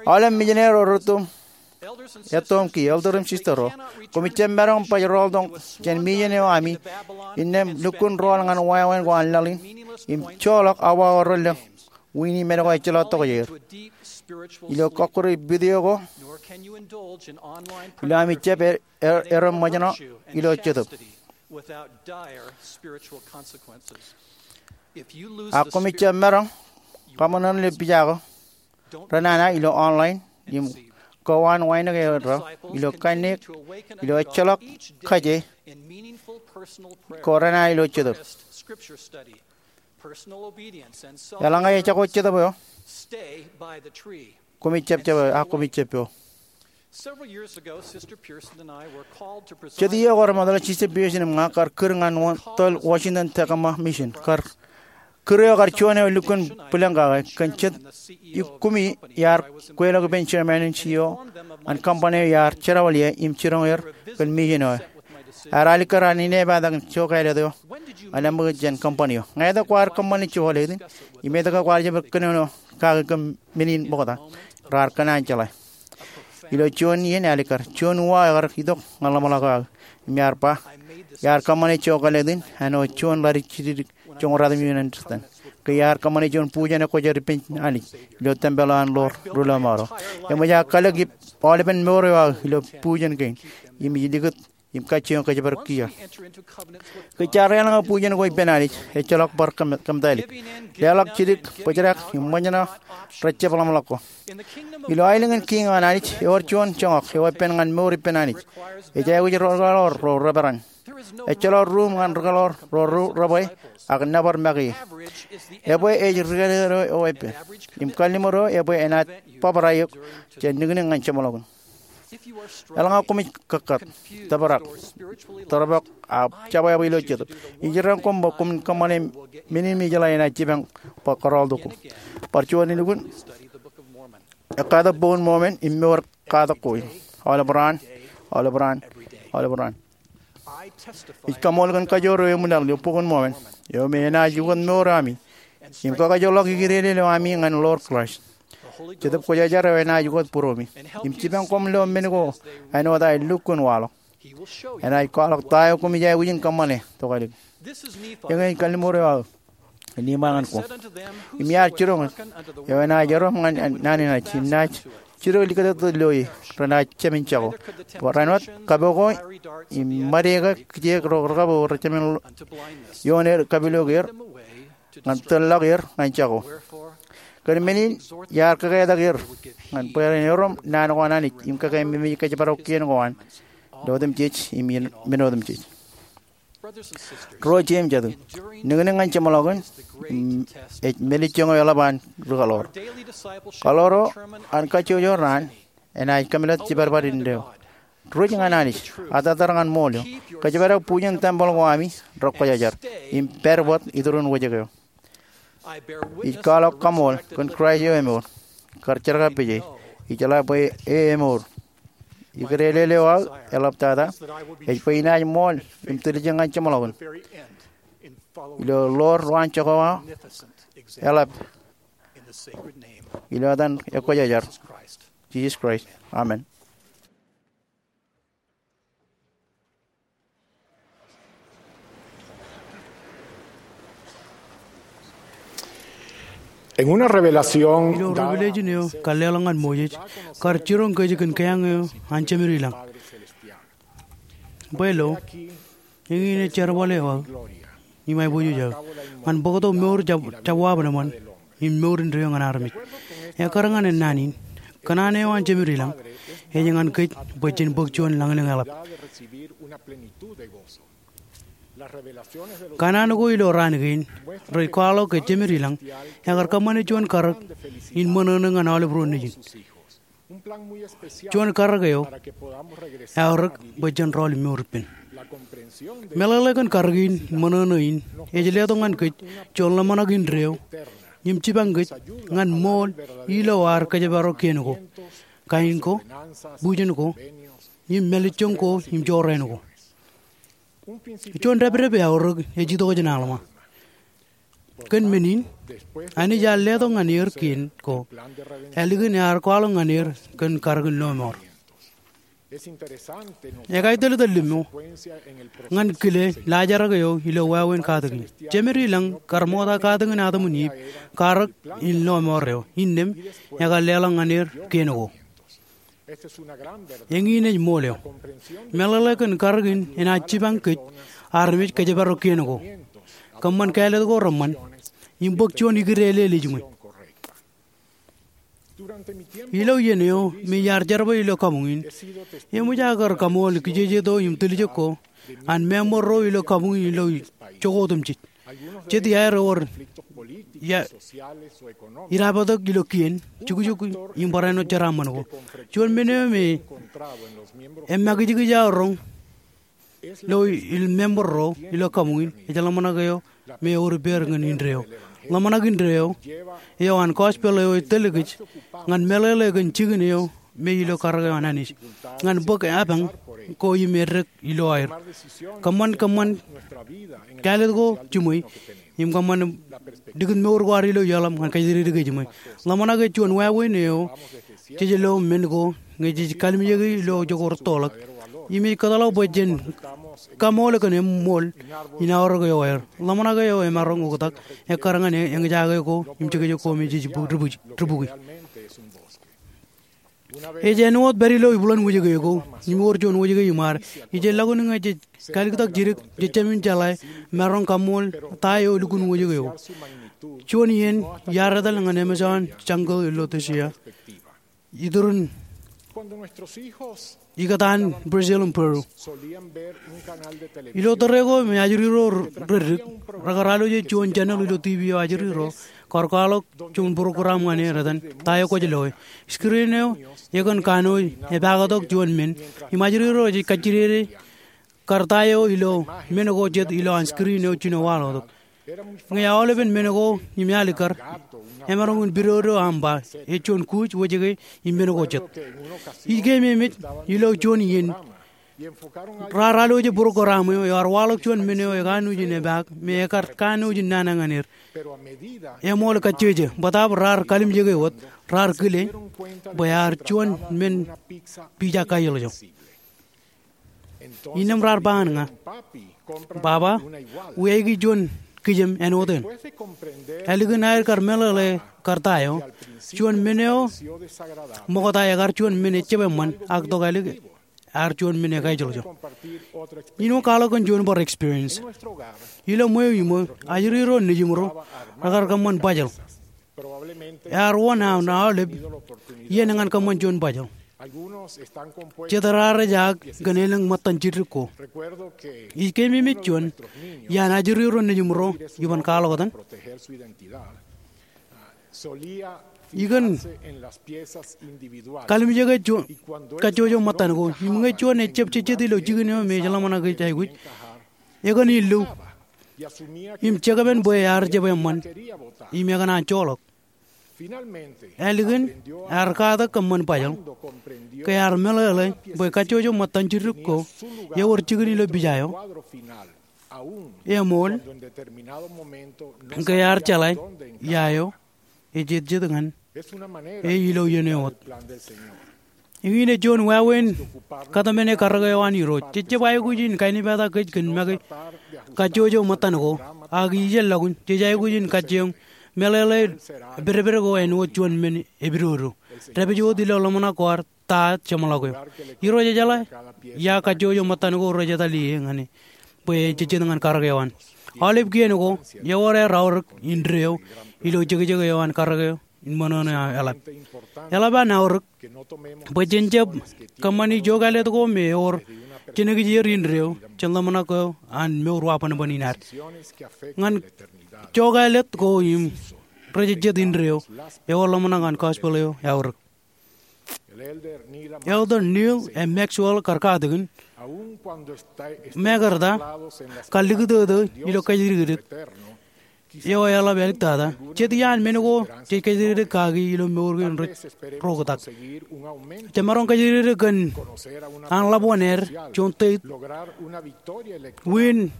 Aolep mijineri ro rūtto im etto im kiiō, elder im sister ro, koṃij jab maroñ baj rọọltok jān mission eo ami innām lukkuun rọọl ñan wāween ko an laḷ in im joḷọk awa ko relōñ wini men ko ejjeḷọk tokjāer ilo kọkkure video ko ilo ami jab e, e, erom ṃōjṇọ ilo jetōb. Ak koṃij jab maroñ kaṃōṇōṇō ilo pija ko renana ilo online im kowaan wānōk erro ilo kanniōk ilo ejjeḷọk kaje ko renana ilo jetōb. Eḷaññe ejako jetōb eo, koṃij jab jab, ak koṃij jab po. Jet iiō ko remootḷọk, Sister Pearson im ña kar kūr ñan tōl Washington Tacoma Mission. Kar kūr eo kar juon eo lukkuun bwilōñ kake. Kōn jet ikkumi iar kweilọk ippān chairman in C E O an company eo iar jerọwilie im jiroñ er kōn mission eo. Ear alikkar an inepata kōn jokālet eo an āmwōj jān company eo. Ñe etke kwaar kōṃṃane jokālet in? Im etke kwaar jab kōnono kake kōn men in ṃokta? Raar kōṇaan jeḷā. Ilo juon iien alikkar, juon uwa ekar itok ñan ḷōmṇak eo aō im ear ba, iar kōṃṃane jokālet in āinwōt juon ḷaddik jidikdik joñoul ruatimjuon in Anij. Ke iar kōṃṃane juon bujen ekwōjarjar ippān Anij ilo tempel eo an ḷoor ri lọmọọr eo. Eṃōj aō kalōk ip aolepen mour eo aō ilo bujen kein im ij likūt im kajjioñ kōjparok kiiō. Ke jaar eḷaññe bujen ko ippān Anij, ejjeḷọk bar kōm, kōmtailik. Leḷọk jidik, bōjrak im ṃōjṇọ rejjab ḷōmṇak ko. Ilo aelōñ in kiiñ an Anij, ewōr juon joñak eo epen ñan mour ippān Anij. Ej aikuj ri rikeḷọk ro reperan. Ejjeḷọk ruum ñan rikeḷọk ro ru rebwe ak nōbar make ie. Ebwe ej rikidikid eo epe im kalliṃur eo ebwe enaaj bōbrae eok jān niknik ñan jeṃḷọkin. Eḷaññe koṃij kōkkat, tōprak, tōrpọk, ak jebwābwe ilo jetōb, ij iten koṃ bwe koṃwin kōṃṃane men in me ij jeḷā enaaj jipañ bwe kōrọọltok koṃ. Bar juon elukkuun ekkatak Bok in Mormon im mour katak ko in aolep raan, aolep raan, aolep raan. Ij kaṃool kōn kajoor eo eṃwilaḷ ilo Bok in Mormon eo me enaaj ukōt mour eo ami im kakajoḷọk ikidede eo ami ñan ḷoor Kraist. Jetōb Kwōjarjar eo enaaj ukōt būromi im jipañ koṃ ilo men ko āinwōt aer lukkuun waḷọk. Enaaj kwaḷọk ta eo koṃij aikuj in kōṃṃane tokālik. Eñin ej kalliṃur eo aō Nehemaya ñan kwe. Im iar jiroñ eo enaaj erom ñan naan in Anij im naaj jidik likūtōktōt ilo e renaaj jemān jako. Barāinwōt kapo ko im ṃade ke kijeek ro rekapo rej jemān ioon er kapilook er ñan tōl ḷọk er ñan jako. Kōn men in iar kōketak er ñan bwe ren erom naan ko an Anij im kōkeememej kōjparok kien ko an ilo otemjej im men otemjej. Ro jet im jatū, niknik ñan jeṃḷọkin ej melijoñ eo eḷap an ri kaḷoor. Kaḷoor eo an kajjojo raan enaaj kōmeḷeḷe jibadbad indeeo. Ruj ñan Anij, attōtar ñan ṃool eo, kōjparok bujen tempel ko ami rekwōjarjar im pād wōt iturin wōjke eo. Ij kwaḷọk kaṃool kōn Kraist eo emour. Kar jerkakpeje, ijeḷā bwe e emour. Ikōtelel eo aō eḷaptata ej bwe inaaj ṃool im tiljek ñan jeṃḷọkin ilo ḷoor ro an jako aō eḷap ilo etan ekwōjarjar, Jisōs Kraist. Amen. Ilo Revelation eo kar leḷọk ñan Moses, kar jiroñ kōj kōn keeañ eo an Jemedlañ. Bwe lo, eñin ej jerbal eo aō im aiboojoj aō ñan bōktok mour jab, jab wab eṃṃan im mour indeeo ñan armej. Ekkar ñan naan in, kōṇaan eo an Jemedlañ ej ñan kōj bwe jen bōk juon lañlōñ eḷap. Kōṇaan ko ilo raan kein rej kwaḷọk ke Jemedlañ ekar kōṃṃane juon karōk in ṃōṇōṇō ñan aolep ro nejin. Juon karōk eo eaorōk bwe jen rọọl im mour ippān. Meḷeḷe kōn karōk in ṃōṇōṇō in ej letok ñan kōj juon ḷōmṇak indeeo im jipañ kōj ñan ṃool ilo ad kōjparok kien ko, kain ko, bujen ko, im melijoñ ko im jorrāān ko. Juon dāpdep eaorōk ej itok jān Alma. Kōn men in, Anij ear letok ñan er kien ko ālikin ear kwaḷọk ñan er kōn karōk in lọmọọr. Ekāāl tōl tōl limmo ñan kile laajrak eo ilo wāween katakin. Jemedlañ kar ṃokta katakin Adam im Iv, karōk in lọmọọr eo, innām ekar leḷọk ñan er kien ko. Eñin ej ṃool eo. Meḷeḷe kōn karōk in enaaj jipañ kōj armej kōjparok kien ko, kōṃṃan kāālōt ko reṃṃan, im bōk juon ikōtelel eo ejiṃwe. Ilo iien eo me iar jerbal ilo kabuñ in, eṃōj aō kar kaṃool kijejeto im tiljek ko an member ro ilo kabuñ in ilo jokwe otemjej. Jet iaer ewōr ia, irabōtōk ilo kien, jukjuk im barāinwōt jeraaṃṃan ko. Juon men eo me emakijkij aō roñ ilo, ilo member ro ilo kabuñ in ej ḷōmṇak eo me ewōr ippāer ñan indeeo. Ḷōmṇak indeeo eo an gospel eo ej tōl kōj ñan meḷeḷe kōn jikin eo me ilo karōk eo an Anij ñan bōk epañ ko im eddek ilo aer. Kōṃṃan, kōṃṃan kāālōt ko jiṃwe im kōṃṃan likūt mour ko ad ilo iaḷ im ñan kōjatdikdik ejiṃwe. Ḷōmṇak ej juon wāween eo jej lo men ko ñe jej kalimjeki ilo jokwe rūttoḷọk im ej kōtḷọk bwe jen kaṃool kōn eṃṃool in aorōk eo aer. Ḷōmṇak eo emaroñ oktak ekkar ñan eñjake ko im jekjek ko me jej bōk dibukwi. Ej āinwōt pād ilo ibwiḷōn wōjke ko im ewōr juon wōjke iṃaad. Ij ḷọk in ñe jej kaaliktōk jidik, jejjab in jeḷā maroñ kaṃool ta eo lukkuun wōjke ko. Juon iien iar etal ñan Amazon jungle ilo Rhodesia, iturin ikōtaan Brazil im Peru. Ilo tōre ko me ajri ro reddik, rekar alwōje juon channel ilo TV eo ajri ro kar kwaḷọk juon program ñan er etan Ta Eo Kwōj Loe. Screen eo ekōn kanooj epaaktok juon men im ajri ro ej kajjidede kar ta eo ilo men ko jet ilo an screen eo jino waḷọktok. Ñe aolepen men ko im alikkar, emaroñ in pidodo aṃ ba ej juon kuuj, wōjke im men ko jet. Ij keememej ilo juon iien Raar alwōje būruon ko raṃ eo, ear waḷọk juon men eo ekanooj in epaak, me ekar kanooj in nana ñan er. Eṃool kajjeje, bōtaab raar kalimjeke wōt, raar kile bwe ear juon men pija kajeḷ jo. Innām raar ba ñan ña, "Baba, wiaiki juon kijem āinwōt eṇ." Ālikin aer kar meḷeḷe kar ta eo, juon men eo ṃokta ekar juon men ejjab eṃṃan, ak tok ālik ear juon men ekajeḷ jo. Innām kwaḷọk kōn juon bar experience. Ilo ṃweo iṃō, ajri ro nejiṃ ro rekar kōṃṃan bajjeḷ. Ear wōn aō aolep iien ñan kōṃṃan juon bajjeḷ. Jet raar ejaak kōn elōñ ṃōttan jidik ko. Ij keememej juon iaan ajri ro nejiṃ ro iban kwaḷọk etan. Ikōn kalimjeke juon kajjojo ṃōttan ko im ñe juon ejjab jejjet ilo jikin eo me ej ḷōmṇak ej aikuj, ekōn illu im jekpen bwe ear jab eṃṃan im ekōṇaan joḷọk. Ālikin ear katak kōṃṃan bajjeḷ ke ear meḷeḷe bwe kajjojo ṃōttan jidik ko ewōr jikin ilo pija eo. Eṃool, ke ear jeḷā ia eo ejejjet ñan e ilo iien eo wōt. Eñin ej juon wāween kōtmāne karōk eo an Irooj. Jej jab aikuj in kainipetak kōj kōn make kajjojo ṃōttan ko, ak ijellọkun jej aikuj in kajjioñ meḷeḷe pedped ko āinwōt juon men epidodo. Dāpij wōt ilo ḷōmṇak ko ad ta jeṃḷọk eo. Irooj ejeḷā ia kajjojo ṃōttan ko rej etal ie ñan e bwe ejejjet ñan karōk eo an. Aolep kien ko ewōr aer aorōk indeeo ilo jekjek eo an karōk eo in ṃōṇōṇō eḷap. Eḷap an aorōk bwe jen jab kōṃṃani jokālet ko me ewōr jenekjeer indeeo jān ḷōmṇak eo an mour wa bōnbōn in ad. Ñan jokālet ko im rejejjet indeeo ewōr ḷōmṇak an gospel eo eaorōk. Elder Neal A. Maxwell kar katakin, mekarta kar likūtōtō ilo kōjdikdik eo eḷap āliktata, jet iaan men ko jej kōjdikdik kaki ilo mour kein rej roktak. Jemaroñ kōjdikdik kōn an ḷap wōn aer juon state win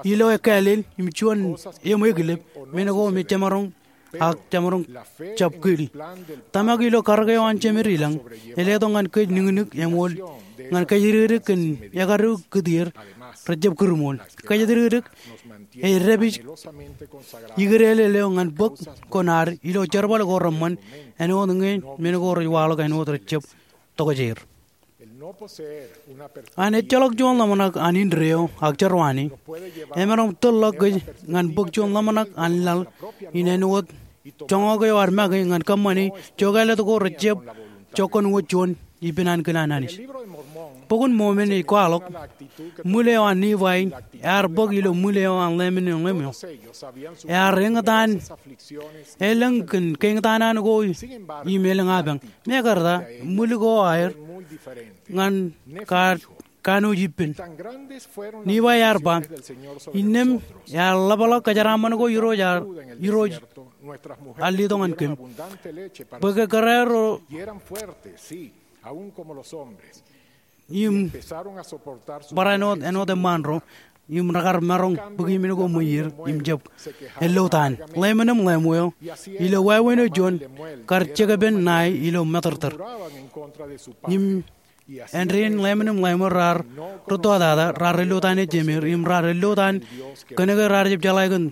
ilo ekkāālel im juon eṃ eklep, men ko me jemaroñ ak jemaroñ jab kili. Tōmak ilo karōk eo an Jemed ilañ, e letok ñan kōj niknik eṃool ñan kōjdikdik kōn ekadu kūtier rejjab kūrṃool. Kōjdikdik ej dāpij ikdeḷọk eo ñan bōk ko ad ilo jerbal ko reṃṃan āinwōt ñe men ko rej waḷọk āinwōt rejjab tokjeir. An ejjeḷọk juon ḷōmṇak an indeeo ak jerwani emaroñ tōl ḷọk kōj ñan bōk juon ḷōmṇak an laḷ in āinwōt joñak eo ad make ñan kōṃṃani jokālet ko rejjab jokkan wōt juon ippān an kōn an Anij. Bok in Mōmon ej kwaḷọk, ṃwil eo an Nifai ear bōk ilo ṃwil eo an Lemonim Lemuel. Ear eñtaan elōñ kōn keñtaan an ko im elōñ apañ. Mekarta ṃwil ko aer ñan kar kanooj ippān. Nifai ear ba, innām ear ḷapḷọk kōjeraaṃṃan ko Irooj ear, Irooj ear letok ñan kōm bwe ke kōrā ro im barāinwōt āinwōt eṃṃaan ro im rekar maroñ bōki men ko ṃweir im jab ello taan. Lemonim Lemuel ilo wāween eo juon kar jekpen ṇae ilo matōrtōr. Im āindein Lemonim Lemuel raar rūttotaata, raar ello taan ej jemeer im raar ello taan kōnke raar jab jeḷā kōn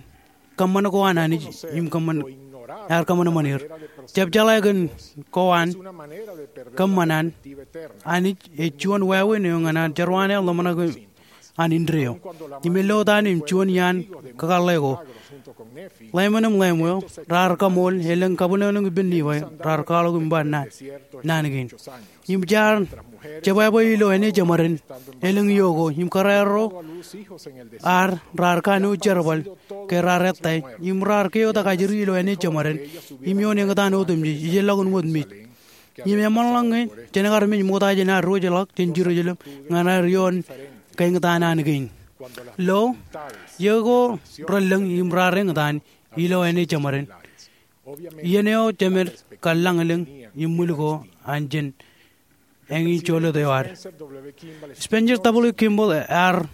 kōṃṃan ko an Anij im kōṃṃan, ear kōṃanṃan er. Jab jeḷā kōn ko an kōṃṃan an Anij ej juon wāween eo ñan an jerwaan eo ḷōmṇak an indeeo im ello taan im juon iaan kakōḷḷe ko. Lemonim Lemuel raar kaṃool elōñ kabwinōnōn ippān Nifai raar kwaḷọk im ba naan, naan kein. Im jaar jebwābwe ilo āne jeṃaden elōñ iiō ko im kōrā ro ad raar kanooj jerbal ke raar ettā im raar keotak ajri ilo āne jeṃaden im ioon eñtaan otemjej ijellọkin wōt mej. Im eṃṃanḷọk ñe jen kar mej ṃokta jān ad diwōjḷọk jān Jerusalem ñan ad ioon keñtaan an kein. Lo, iiō ko relōñ im raar eñtaan ilo āne jeṃaden. Iien eo jemed kar lañlōñ im ṃwil ko an jen eñin jolōt eo ad. Spencer W. Kimball ear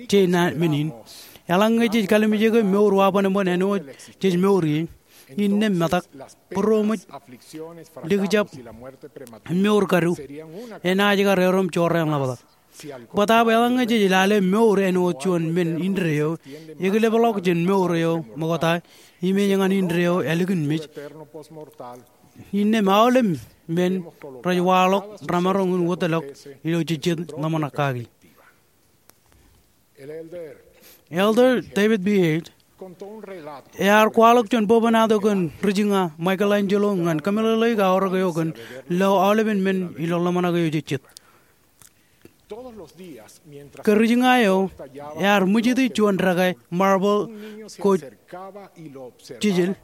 je naan men in. Eḷaññe jej kalimjeke mour wābōnbōn āinwōt jej mour ie, innām metak, būroṃōj, likjab, im mour kadu enaaj kar erom jorrāān ḷapḷap. Bōtaab eḷaññe jej lale mour āinwōt juon men indeeo, ekilepḷọk jān mour eo ṃokta im ej ñan indeeo ālikin mej, innām aolep men rej waḷọk remaroñ in wōtlọk ilo jejjet ḷōmṇak kaki. Elder David B. Haight ear kwaḷọk juon bwebwenato kōn ri-jiña Michelangelo ñan kōmeḷeḷeik aorōk eo kōn lo aolepen men ilo ḷōmṇak eo jejjet. Ke ri-jiña eo ear ṃwijiti juon dekā marble ko jijel,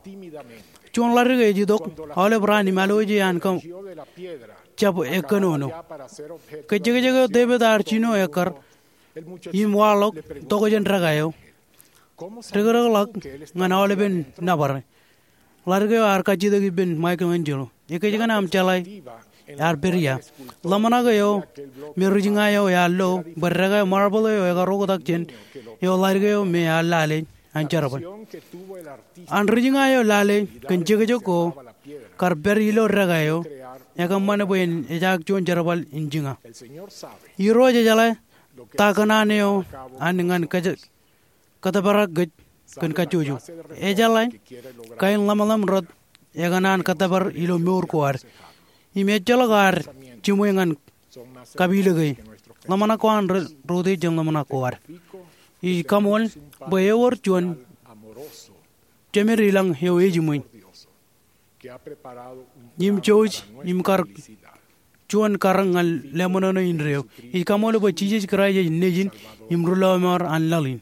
juon ḷadik ej itok aolep raan im alooje an kab jab ekkōnono. Ke jekjek eo David ear jino ekkar im waḷọk tokjān dekā eo, dekdekḷọk ñan aolepen nōbar. Ḷadik eo ear kajjitōk ippān Michelangelo. Ekōjkan aṃ jeḷā ear pād ia. Ḷōmṇak eo me ri-jiña eo ear lo bwe dekā marble eo ekar oktak jān eo ḷadik eo me ear lale an jerbal. An ri-jiña eo lale kōn jekjek ko kar pād ilo dekā eo, ekōṃṃan bwe en ejaak juon jerbal in jiña. Irooj ejeḷā ta kōṇaan eo an ñan kōj- kōtōprak kōj kōn kajjojo. Ejeḷā kain ḷōmṇak rot ekōṇaan kōtōpar ilo mour ko ad. Im ejjeḷọk ad jiṃwe ñan kapilōke. Ḷōmṇak ko an rej rot jān ḷōmṇak ko ad. Ij kaṃool bwe ewōr juon jemed ilañ eo ejiṃwe im jouj im kar juon karōk ñan leṃōṇōṇō indeeo. Ij kaṃool bwe Jisōs Kraist ej Nejin im Ri-lọmọọr an laḷ in.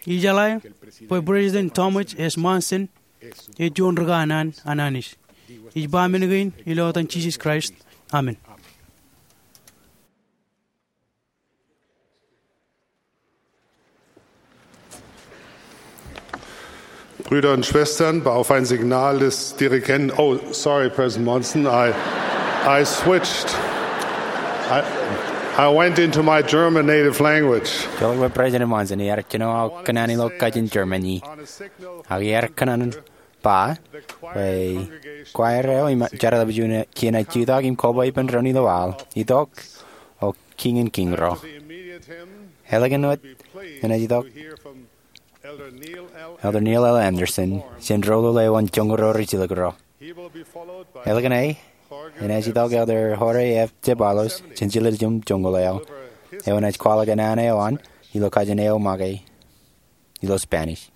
Ij jeḷā bwe President Thomas S. Monson ej juon rikaanaan an Anij. Ij ba men kein ilo etan Jisōs Kraist. Amen. Brüder und Schwestern, auf ein Signal des Dirigenten. Oh, sorry, President Monson. I, I switched. I, I went into my German native language. Ejjeḷọk bwe President Monson ear jino aō kōṇaan ilo kajin Germany. Ak ear kōṇaan ba bwe choir eo im jar tapiju kien ej jutak im koba ippān doon ilo aḷ, itok O Kiiñ in Kiiñ ro. Ālikin wōt enaaj itok Elder Neil L. Andersen jān doulul eo an joñoul ri jilkinro. Ālikin e enaaj itok Elder Jorge F. Ceballos jān jiljilimjuon joñoul eo, eo enaaj kwaḷọk kōṇaan eo an ilo kajin eo make ilo Spanish.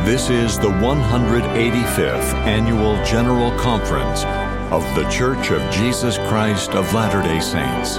This is the one hundred eighty-fifth Annual General Conference of The Church of Jesus Christ of Latter-day Saints.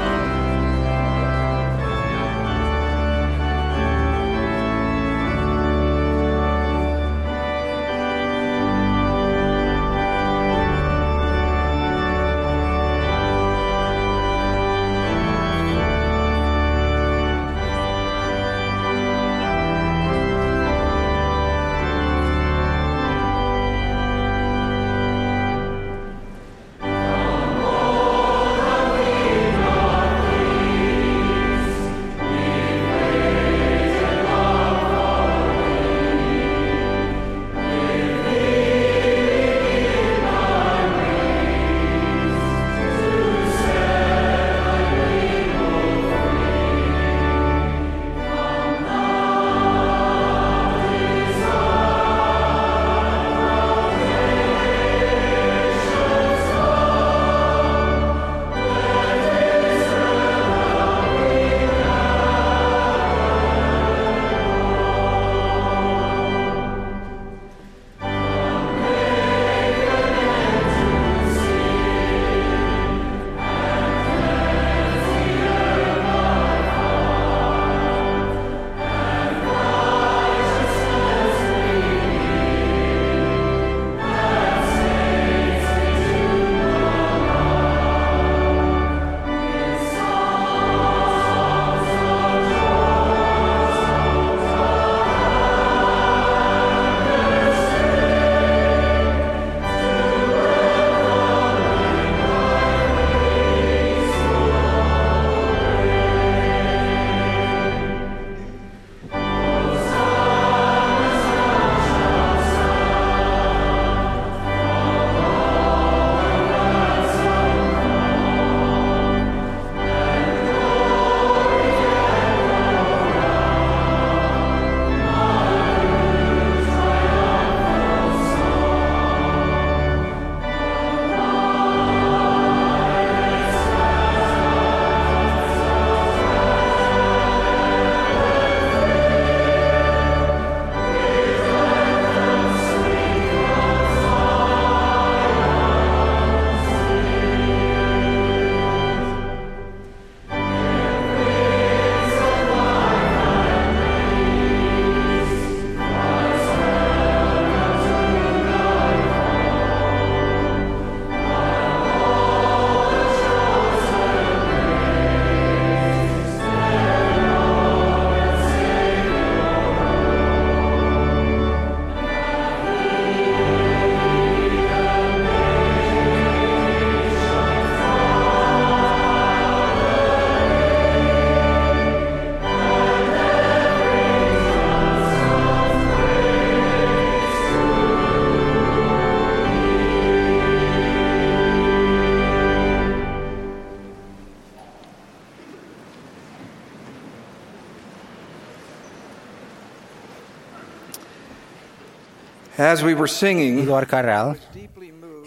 As we were singing, ilo ad kōrā,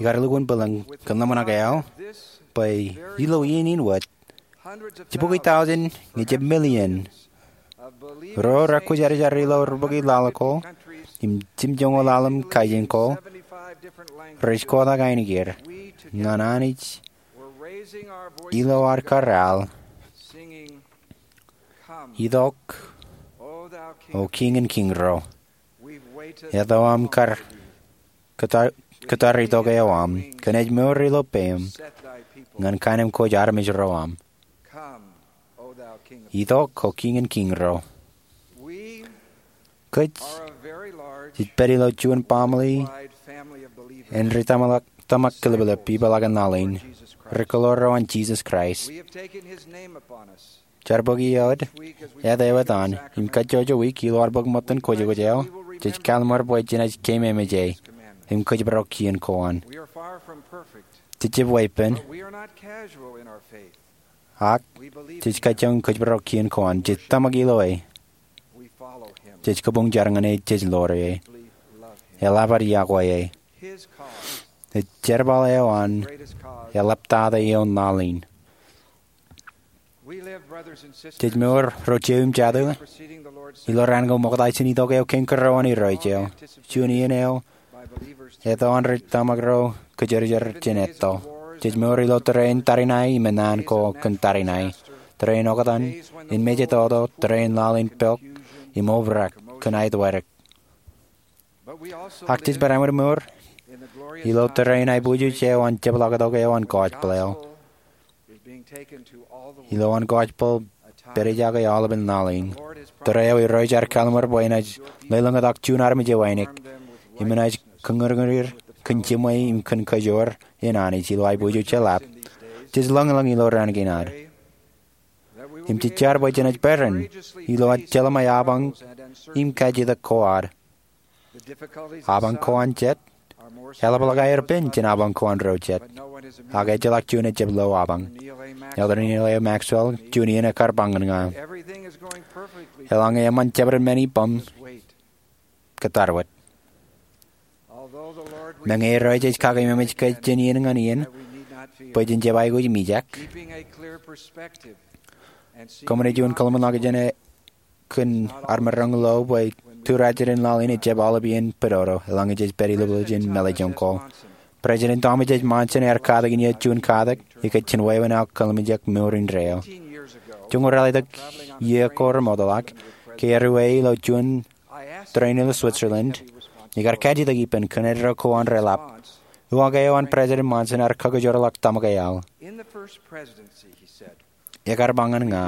ikar lukkuun bwilōñ kōn ḷōmṇak eo bwe ilo iien in wōt, jibukwi tọujin ñe jab million ro rekwōjarjar ilo rubukwi laḷ ko im jimjuonñoul ḷalem kaijin ko rej kotak ainikieir ñan Anij ilo ad kōrā, Itok, O Kiiñ in kiiñ ro. Eto aṃ kar kōttar itok eo aṃ kōn ej mour ilo peiṃ ñan kainemkwōj armej ro aṃ. Itok, O Kiiñ in kiiñ ro. Kōj jej pād ilo juon baaṃle en ri tōmak kōlōblōb ipeḷaakin laḷ in rej kōḷoor ro an Jisōs Kraist. Jar bōk iood, āt eo etan, im kajjojo wiik ilo ad bōk ṃōttan kwōjkwōj eo, jej kaḷmar bwe jenaaj keememej e im kōjparok kien ko an. Jejjab weeppān, ak jej kajjioñ kōjparok kien ko an. Jej tōmak ilo e. Jej kabuñ jar ñan e, jej ḷoor e. Eḷap ad iọkwe e. Ej jerbal eo an eḷaptata ioon laḷ in. Jej mour ro jeiū im jatū ilo raan ko ṃokta jān itok eo kein kōrā an Irooj eo. Juon iien eo eto an rej tōmak ro kōjerajer jān etto. Jej mour ilo tōre in tariṇae im naan ko kōn tariṇae, tōre in oktan, in mejatoto, tōre in laḷ in pok im obrak kōn aetwādik. Ak jej barāinwōt mour ilo tōre in aiboojoj eo an jepḷaaktok eo an gospel eo. Ilo an gospel pād ijoko aolepān laḷ in. Tōre eo Irooj ear kaḷmar bwe enaaj lelōñtak juon armej eo ainikien im enaaj kōñūrñūr kōn jiṃwe im kōn kajoor in Anij ilo aiboojoj eḷap. Jej lōñlōñ ilo raan kein ad im jej jar bwe jenaaj peran ilo ad jeḷā ṃōj apañ im kajjitōk ko ad. Apañ ko an jet eḷapḷọk aer pen jān apañ ko an ro jet. Ak ejjeḷọk juon ejjab lo apañ. Elder Neal A. Maxwell, juon iien ekkar ba ñan ña, eḷaññe eṃṃan jabdewōt men ippaṃ, kōttar wōt. Meñe Irooj ej kakeememej kōj jān iien ñan iien bwe jen jab aikuj mijak, kōṃṃane juon kōḷmānḷọkjeṇ jān e kōn armej ro lo bwe tūrajjidin laḷ in ejjab aolep iien pedodo eḷaññe jej pād ilubwiljin mālejjoñ ko. President Thomas H. Monson ear katakin ie juon katak ikōj jān wāween aō kōḷmānḷọkjeṇ mour indeeo. Joñoul ralitōk iiō ko remootḷọk, ke erreo ilo juon tōre in ilo Switzerland, ikar kajjitōk ippān kōn eddo ko an reḷap. Uwaak eo an President Monson ear kakajoorḷọk tōmak eo aō. Ekar ba ñan ña,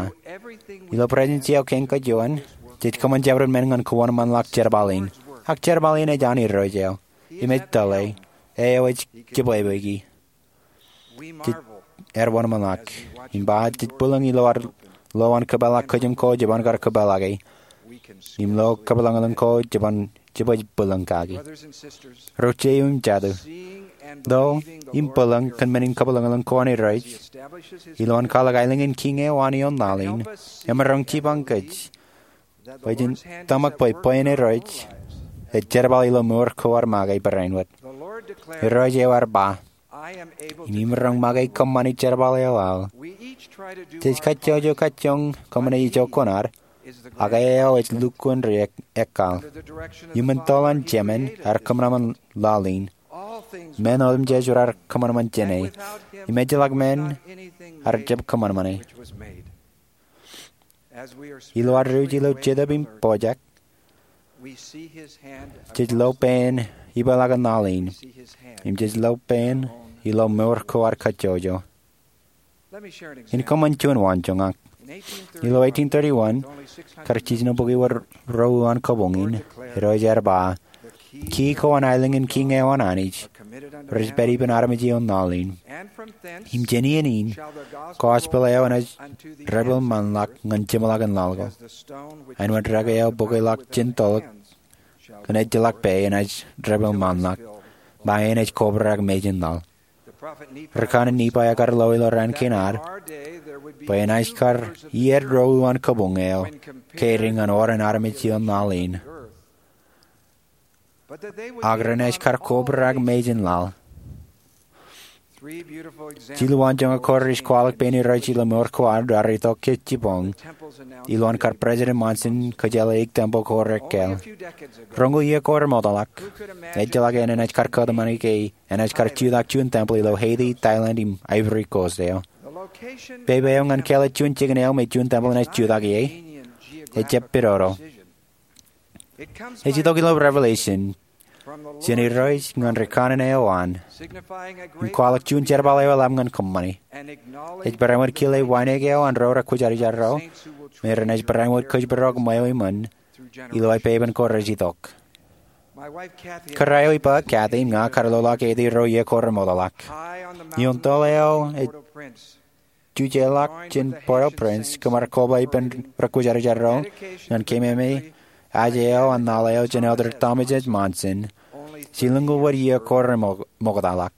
ilo presidency eo kein kōj ioon, jej kōṃṃan jabdewōt men ñan kōwōnṃaanḷọk jerbal in. Ak jerbal in ej an Irooj eo im ej tōlle. E eo ej jibwebweiki. Jej, ear wōnṃaanḷọk. Im ba jej bwilōñ ilo ad lo an kōpeḷḷọk kōjām ko jeban kar kōpeḷḷọke im lo kōpeḷḷọk ko jeban jibwebweik bwilōñ kaki. Ro jeiū im jatū, lo im bwilōñ kōn men in kōpeḷḷọk ko an Irooj ilo an kwaḷọk aelōñ in kiiñ eo an ioon laḷ in, emaroñ jipañ kōj bwe jen tōmak bwe bwe in Irooj ej jerbal ilo mour ko ad make barāinwōt. Irooj eo ear ba, im imaroñ make kōṃṃani jerbal eo aō. Jej kajjojo kajjioñ kōṃṃane ijo kuṇaad, ak e eo ej lukkuun ri ek, ekkal. Iuṃwin toḷ an Jemān ear kōṃanṃan laḷ in, men otemjej raar kōṃanṃan jāne, im ejjeḷọk men ear jab kōṃanṃane. Ilo ad ruj ilo jetōb im pojak, jej lo pein ipeḷaakin laḷ in, im jej lo pein ilo mour ko ad kajjojo. In kōṃṃan juon waanjoñak. Ilo eighteen thirty-one, kar jiljino bukwi wōt ro uwaan kabuñ in, Irooj ear ba, key ko an aelōñ in kiiñ eo an Anij rej pād ippān armej ioon laḷ in. Im jān iien in, gospel eo enaaj debwilṃaanḷọk ñan jeṃḷọkin laḷ ko. Āinwōt dek eo bukweḷọk jān tōl kōn ejjeḷọk pā enaaj debwilṃaanḷọk, ba enaaj kobrak mejān laḷ. Ri kanaan Nifai ekar lo ilo raan kein ad bwe enaaj kar iiet ro uwaan kabuñ eo carried ñan oran armej ioon laḷ in. ak renaaj kar kobrak mejān laḷ. Jilu an joñak ko rej kwaḷọk pein Irooj ilo mour ko ad raar itok ke jibboñ ilowaan kar President Monson kōjeḷā eik tempel ko rekāāl. Roñoul iiō ko remootḷọk, ejjeḷọk enaaj kar kōtmānike enaaj kar jutak juon tempel ilo Haiti, Thailand im Ivory Coast eo. Pepe eo ñan kāālōt juon jikin eo me juon tempel enaaj jutak ie ejjab pidodo. Ej itok ilo Revelation jān Irooj ñan ri kanaan eo an, im kwaḷọk juon jerbal eo eḷap ñan kōṃṃani. Ej barāinwōt kile wānōk eo an ro rekwōjarjar ro, me renaaj barāinwōt kōjparok ṃweo iṃōn ilo aō pepen ko rej itok. Kōrā eo ippa, Kathy, im ña kar lolọk Haiti roñoul iiō ko remootḷọk. Ioon toḷ eo ej jujeḷọk jān Port-au-Prince, kōmar koba ippān rekwōjarjar ro ñan keememej eo an laḷ eo jān Elder Thomas S. Monson, jilñuul wōt iiō ko remootḷọk.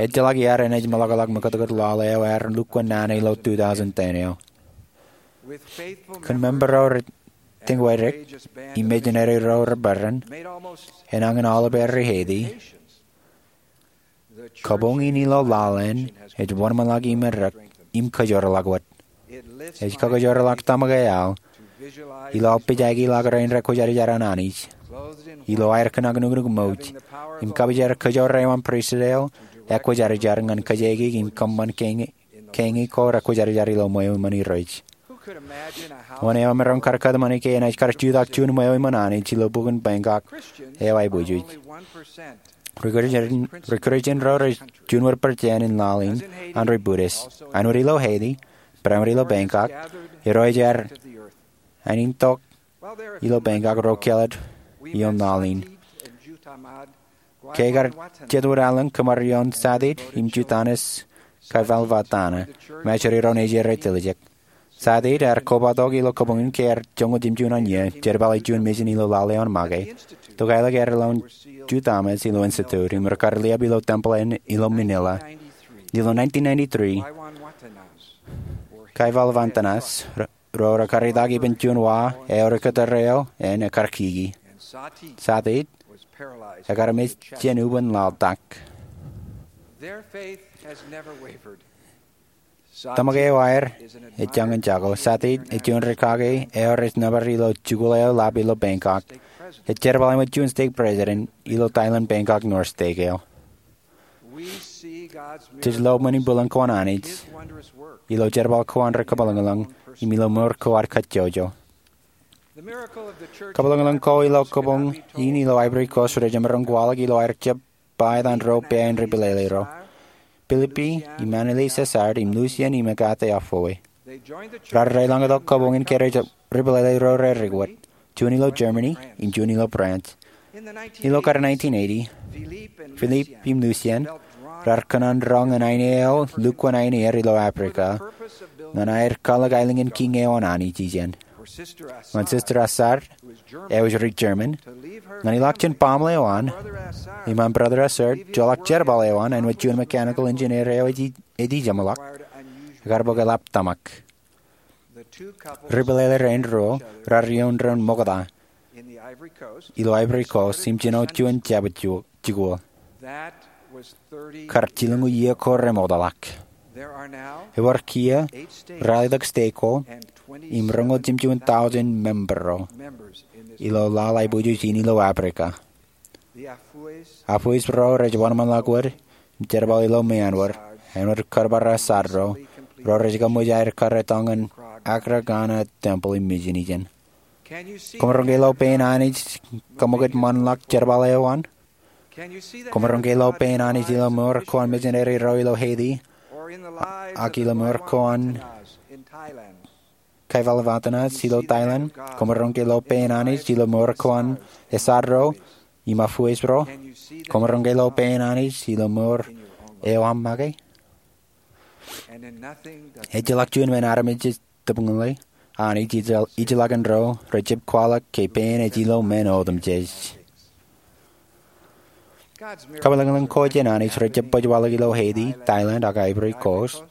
Ejjeḷọk iaad enaaj meḷọkḷọk mekūtkūt laḷ eo ad lukkuun naan ilo two thousand ten eo. Kōn member ro rej tiñwadik im mejān ro rej bōran, enañin aolep ri Haiti, kabuñ in ilo laḷ eṇ ej wōnṃaanḷọk im errā im kajoorḷọk wōt. Ej kajoorḷọk tōmak eo aḷ ilo aō pejākḷọk rein rekwōjarjar an Anij, ilo aer kōṇaan nuknuk ṃouj, im kapijar kajoor eo an pristut eo ekwōjarjar ñan kōjkeik im kōṃṃan kein ko rekwōjarjar ilo ṃweo iṃōn Irooj. Wōn eo emaroñ kar kōtmānike enaaj kar jutak juon ṃweo iṃōn Anij ilo bukwōn Bangkok eo aiboojoj? Ri-Christian ro rej juon wōt percent in laḷ in an ri Buddhist. Āinwōt ilo Haiti, barāinwōt ilo Bangkok, irooj ear ānintok ilo Bangkok ro kāālōt ioon laḷ in. Ke kar jet wōt aolep kōmar ioon Sathit im Juthanas Kaivalvatana, im ej irooj eo rej tiljek. Sathit ear kobatok ilo kabuñ in ke ear joñoul jemjuon an iiō, jerbale juon mission ilo laḷ eo an make, tok aelōñ aer ḷọk Juthamas ilo institute, im rekar liab ilo tempel eṇ ilo Manila. Ilo nineteen ninety-three, Kaivalvantanas ro rekar itak ippān juon wa eo ri kōttar eo eṇ ekar kiki. Sathit ekar mej jān ubōn laḷtak. Tōmak eo aer ej jañin jako. Sathit ej juon ri kake eo rej nōbar ilo jikuuḷ eo ḷap ilo Bangkok. Ej jerbal eo ṃōk juon stake president ilo Thailand Bangkok North Stake eo. Jej lo ṃōn in bwilōñ ko an Anij ilo jerbal ko an ri kabwilōñlōñ im ilo mour ko ad kajjojo. Kabwilōñlōñ ko ilo kabuñ in ilo Ivory Coast rej jemaroñ kwaḷọk ilo aer jab ba etan ro pā in ri pelele ro, Philippe im Anneliese Assard im Lucien im Agathe Affoue. Raar deḷọñtok kabuñ in ke ri pelele ro rej dik wōt, juon ilo Germany im juon ilo France. Ilo kar nineteen eighty, Philippe im Lucien raar kōṇaan roñ ñan aine eo lukkuun aine er ilo Africa ñan aer kwaḷọk aelōñ in kiiñ eo an Anij ijeṇ. Ñan Sister Assard, eo ej ri German, ñan ilọk jān baaṃle eo an, im an Brother Assard joḷọk jerbal eo an āinwōt juon mechanical engineer eo ej ijeṃḷọk, ekar bōk eḷap tōmak. Ri pelele rein ruo raar ioon doon ṃokta ilo Ivory Coast im jino juon jabdewōt jikuuḷ. Kar jilñuul iiō ko remootḷọk. Ewōr kiiō ralitōk stake ko im roñoul jemjuon tọujin member ro ilo laḷ aiboojoj in ilo Africa. Affoue ro rej wōnṃaanḷọk wōt im jerbal ilo meanwōd, āinwōt kōrbar Assard ro, ro rej kaṃōj aer kar etal ñan Aga Khan Temple im mission ijeṇ. Koṃaroñ ke lo pein Anij kaṃōkaj ṃanḷọk jerbal eo an? Koṃaroñ ke lo pein Anij ilo mour ko an misineri ro ilo Haiti, ak ilo mour ko an Kaivalvantanas ilo Thailand? Koṃaroñ ke lo pein Anij ilo mour ko an Assard ro im Affoue ro? Koṃaroñ ke lo pein Anij ilo mour eo aṃ make? Ejjeḷọk juon men armej ej tōpūḷe Anij ijellọkin ro rej jab kwaḷọk ke pein ej ilo men otemjej. Kabwilōñlōñ ko jān Anij rej jab baj waḷọk ilo Haiti, Thailand, ak Ivory Coast.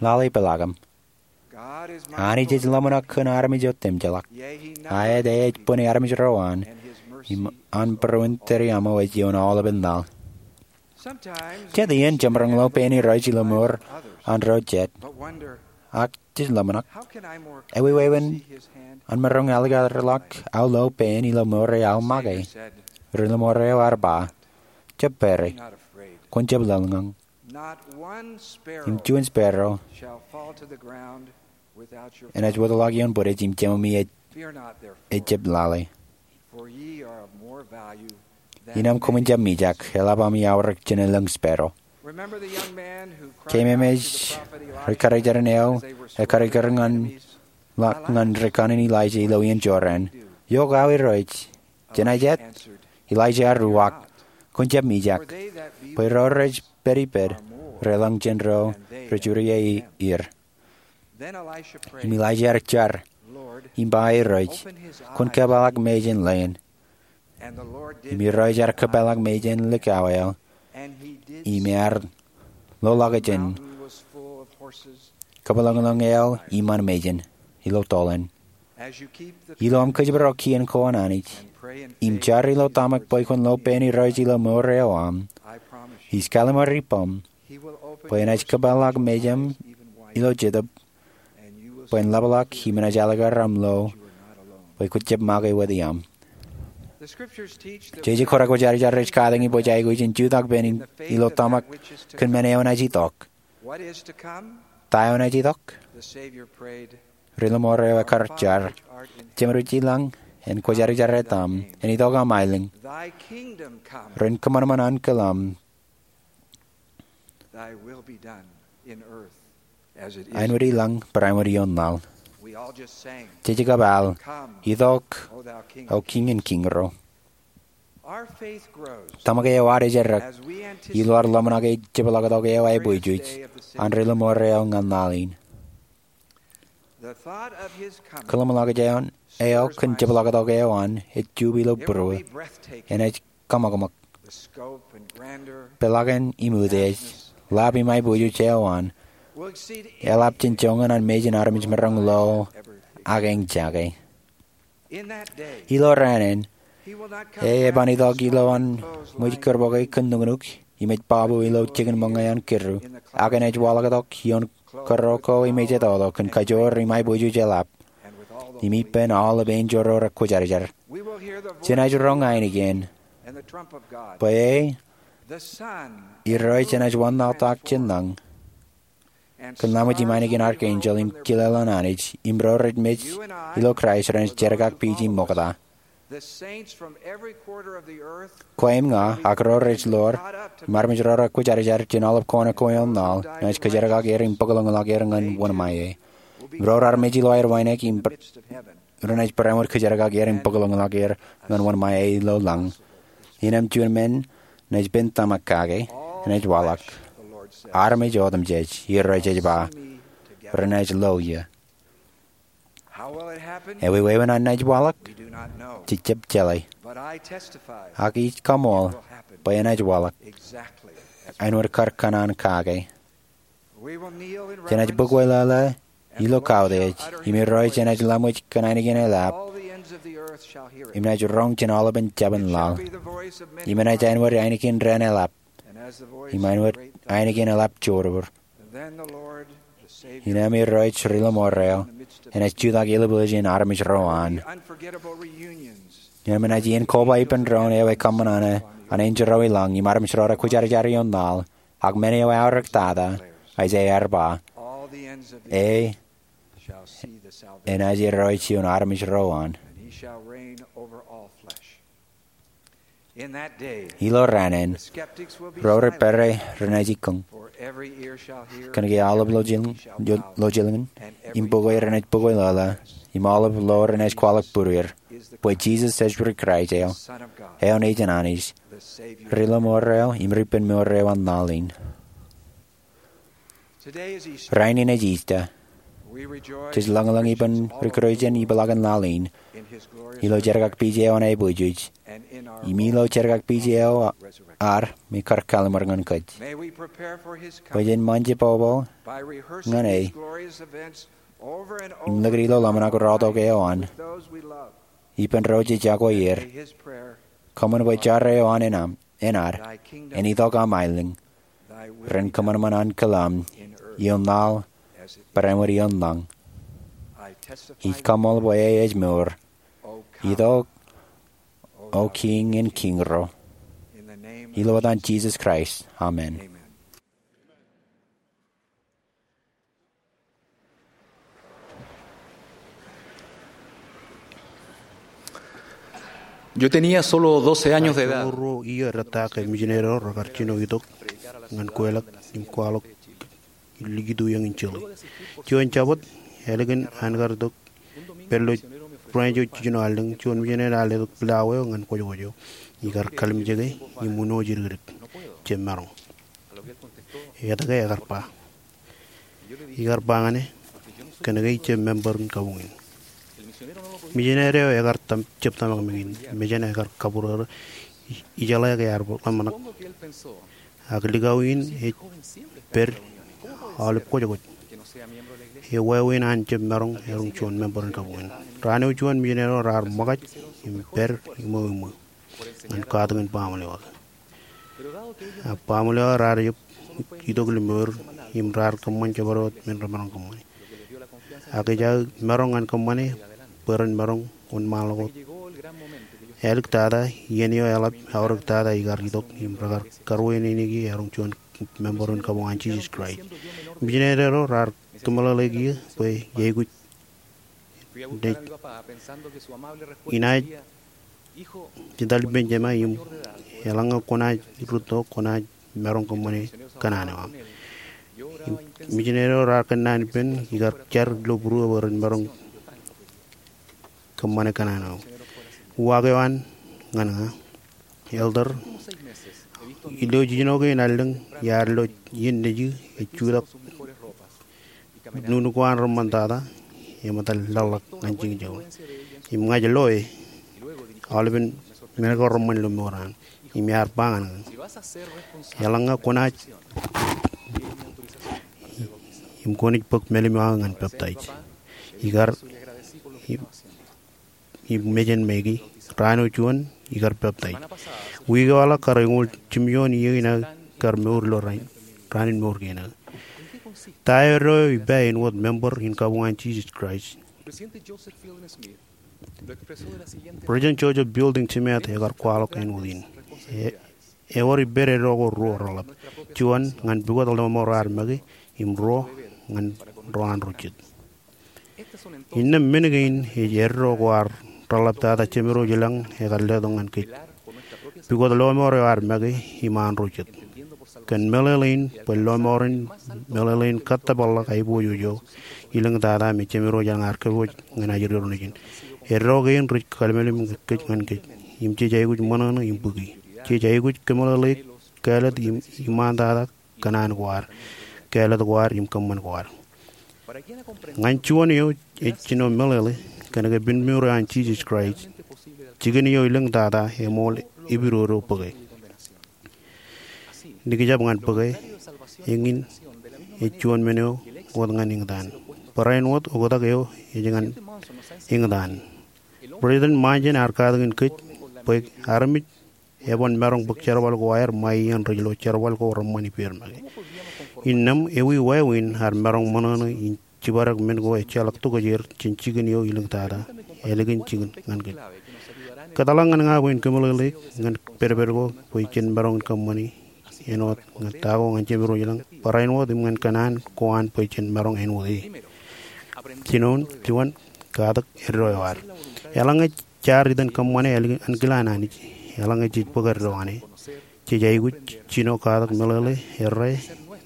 Lale peḷaakim. Anij ej ḷōmṇak kōn armej otemjeḷọk. A ej bwini armej ro an, im an būruon tōre aṃo ej ioon aolepen laḷ. Jet iien jemaroñ lo pein Irooj ilo mour an ro jet, ak jej ḷōmṇak, eweween an maroñ alikkar ḷọk aō lo pein ilo mour eo aō make. Ri-ḷōṃaro ear ba, jab pere, kwōn jab lōñlōñ. Im juon sparrow enaaj wōtlọk ioon bwidej im jemami ejjab lale. Innām koṃwin jab mijak, eḷap ami aorōk jān elōñ sparrow. Keememej ri-karijeran eo ekariker ñan ḷọk ñan ri-kanin Elaija ilo iien Jordan. Iọkwe aō Irooj, jenaaj et? Elaija ear uwaak, kwōn jab mijak, bwe ro rej pediped relōñ jān ro rej uri er. Im Elaija ear jar im ba, Irooj, kwōn kōpeḷḷọk mejān leen. Im Irooj ear kōpeḷḷọk mejān likao eo, im ear loḷọk jān kōpeḷḷọkḷọk eo iṃaan mejān ilo toḷ in. Ilo aṃ kōjparok kien ko an Anij im jar ilo tōmak bwe kwōn lo pein Irooj ilo mour eo aṃ, ij kallim̧ur ippaṃ bwe enaaj kōpeḷḷọk mejān ilo jetōb bwe en ḷapḷọk im enaaj alikkar aṃ lo bwe kwōj jab make wōt iaṃ. Jeje ko rekwōjarjar rej katakin bwe jej aikuj in jutak pen ilo tōmak kōn men eo enaaj itok. Ta eo enaaj itok? Ri-ḷōṃaro ekkar jar, Jemedwōj ilañ, en kwōjarjar etaṃ, en itok aṃ aelōñ, ren kōṃanṃan ankilaṃ, āinwōt ilañ barāinwōt ioon laḷ. Jej kab al, Itok, O Kiiñ in kiiñro. Tōmak eo ad ejjeḷọk ilo ad ḷōmṇak ej jepḷaaktok eo aiboojoj an Ri-ḷōṃaro eo ñan laḷ in. Kōḷmānḷọkjeṇ eo kōn jepḷaaktok eo an ej jup ilo būruō. Enaaj kōṃakōṃak. Peḷaakin im utiej, ḷap im aiboojoj eo an, eḷap jān joñan an mejān armej maroñ lo ak eñjake. Ilo raan in, e eban itok ilo an ṃōj kūrbōke kōn nuknuk im ej babu ilo jikin ṃōñā an kiddu, ak enaaj waḷọktok ioon kōrro ko im ejetoḷọk kōn kajoor im aiboojoj eḷap, im ippān aolep enjeḷ ro rekwōjarjar. Jenaaj roñ ainikien bwe e, Irooj enaaj wanlaḷtak jān lañ kōn laṃōj im ainikien arkanjeḷ im kile ḷọk an Anij, im ro rej mej ilo Kraist renaaj jerkakpeje im ṃokta. Kwe im ña ak ro rej ḷoor im armej ro rekwōjarjar jān aolep kōṇaan ko ioon laḷ renaaj kōjerkak er im bōkḷōñḷọk er ñan wōnṃae. Im ro raar mej ilo aer wānōk im renaaj barāinwōt kōjerkak er im bōkḷōñḷọk er ñan wōnṃae ilo lañ. Innām juon men enaaj pen tōmak kake, enaaj waḷọk. Armej otemjej, Irooj ej ba, renaaj lo eō. Eweween an enaaj waḷọk? Jej jab jeḷā. Ak ij kaṃool bwe enaaj waḷọk āinwōt kar kōṇaan kake. Jenaaj bōk wōtlọḷọk ilo kautiej, im Irooj enaaj laṃōj kōn ainikien eḷap, im enaaj roñ jān aolepen jabōn laḷ. Im enaaj āinwōt ainikien raan eḷap, im āinwōt ainikien eḷap jodor. Innām Irooj Ri-ḷōṃaro enaaj jutak eḷapḷọk jān armej ro an. Innām enaaj iien koba ippān doon eo ekōṃṃan an enjeḷ ro ilañ im armej ro rekwōjarjar ioon laḷ, ak men eo eaorōk tata, Aiseia ear ba, e enaaj Irooj ioon armej ro an. Ilo raan in, ro rej pere renaaj ikōñ, kōnke aolep lọjilñin im bukwi renaaj bukwiḷọḷọk, im aolep lo renaaj kwaḷọk būruer, bwe Jisōs ej Kraist eo, eoon Nejin Anij, Ri-ḷōṃaro im Ripenmour eo an laḷ in. Rainin ej Easter. Jej lōñlōñ ippān ri-Kūrjin ipeḷaakin laḷ in ilo jerkakpeje eo an aiboojoj im ilo jerkakpeje eo ad me kar kallim̧ur ñan kōj. Bwe jen ṃōn jebwebwe ñan e im likūt ilo ḷōmṇak rọọltok eo an ippān ro jej iọkwe er. Kōṃṃan bwe jar eo an enaaj, enaaj, en itok aṃ aelōñ, ren kōṃanṃan an kōḷḷaḷ, ioon laḷ bwe ren wōt ioon lañ. Ij kaṃṃoolol bwe e ej mour. Itok, O Kiiñ in kiiñ ro. Ilo etan Jisōs Kraist, amen. Yo tenía solo doce años de edad. Ruo iiō rej ta ke misineri ro rekar jino itok ñan kweilọk im kwaḷọk likūt iiō in Chile. Juon Jabōt, ālikin an kar itok pād ilo ranch eo jijino allōñ, juon misineri ear letok pilawā eo ñan kwōjkwōj eo, ikar kalimjeke im uno jidikdik, jab maroñ. Etke ekar ba? Ikar ba ñan e, kōnke ij jab member in kabuñ in. Misineri eo ekar jab tōmak meñe in, mejān ekar kabūrōrō, ijeḷā ke ear ḷōmṇak. Ak likao in ej pād aolep kwōjkwōj. Ewāween an jab maroñ erom juon member in kabuñ in. Raan eo juon misineri eo raar ṃōkaj im pād iṃweo iṃweo ñan katakin baaṃle eo aō. Ak baaṃle eo aō raar jab itok ilo mour im raar kōṃṃan jabdewōt men remaroñ kōṃṃane. Ak ej aō maroñ ñan kōṃṃane bwe ren maroñ wōnṃaanḷọk wōt. Āliktata, iien eo eḷap aorōktata ikar itok im rekar karuwainene erom juon member in kabuñ an Jisōs Kraist. Misineri ro raar kōmeḷeḷeik bwe ej aikuj in inaaj jitōl ippān Jema im eḷaññe kwōnaaj rūtto kwōnaaj maroñ kōṃṃane kōṇaan eo aṃ. Im misineri ro raar kōnnaan ippān ikar jar ilo būruō bwe ren maroñ kōṃṃane kōṇaan eo. Uwaak eo an ñan ña, Elder, ilo jijino kein allōñ, iar lo iien nejū ej jutak nuknuk ko an reṃṃantata, eṃōttan ḷōkḷōk ñan jikin joñoul. Im ña ij lo e, aolepen men ko reṃṃan ilo mour eo an. Im iar ba ñan ña, eḷaññe kwōnaaj, im kwōnaaj bōk mālim eo aō ñan peptaij. Ikar, im im mejān make, raan eo juon ikar peptaij. Wiik eo eḷak kar eñoul jimjuon iiō in aō kar mour ilo raan, raan in mour kein aō. Ta eo eddo eo ippa āinwōt member in kabuñ an Jisōs Kraist? President Joseph Fielding Smith ekar kwaḷọk āinwōt in. E, ewōr ippād eddo ko ruo reḷap. Juon ñan pukot lọmọọr eo ad make, im ruo ñan ro an ro jet. Innām men kein ej eddo ko ad reḷaptata Jemedwōj ilañ ekar letok ñan kōj. Pukot lọmọọr eo ad make im an ro jet. Kōn meḷeḷein bwe lọmọọr in meḷeḷein kōttōpar ḷọk aiboojoj eo, ilōñtata me Jemedwōj ilañ ear kōpooj ñan ajri ro nejin. Eddo kein rej kallimlim kōj ñan kōj. Im jej aikuj ṃōṇōṇō im bōki. Jej aikuj kōmeḷeḷeik kāālōt im iṃaantata kōṇaan ko ad, kāālōt ko ad im kōṃṃan ko ad. Ñan juon eo ej jino meḷeḷe kōnke pinmour eo an Jisōs Kraist, jikin eo ilōñtata eṃool epidodo bōke. Nikjab ñan bōke, eñin ej juon men eo wōt ñan eñtaan. Barāinwōt oktak eo ej ñan eñtaan. President Monson ear katakin kōj bwe armej eban maroñ bōk jerbal ko aer ṃae iien rej lo jerbal ko reṃṃan ippāer make. Innām ewi wāween ad maroñ ṃōṇōṇō in jibadek men ko ejjeḷọk tokjāer jān jikin eo ilōñtata, ālikin jikin ñan kōj. Kōtḷọk ñan ña bwe in kōmeḷeḷeik ñan pedped ko bwe jen maroñ in kōṃṃane āinwōt ñan ta ko ñan Jemedwōj ilañ, barāinwōt im ñan kōṇaan ko an bwe jen maroñ āinwōt e. Jinoin, juon, katak eddo eo ad. Eḷaññe jaar itōn kōṃṃane ankilaan Anij, eḷaññe jej bōk eddo eo an e, jej aikuj jino katak meḷeḷe, errā,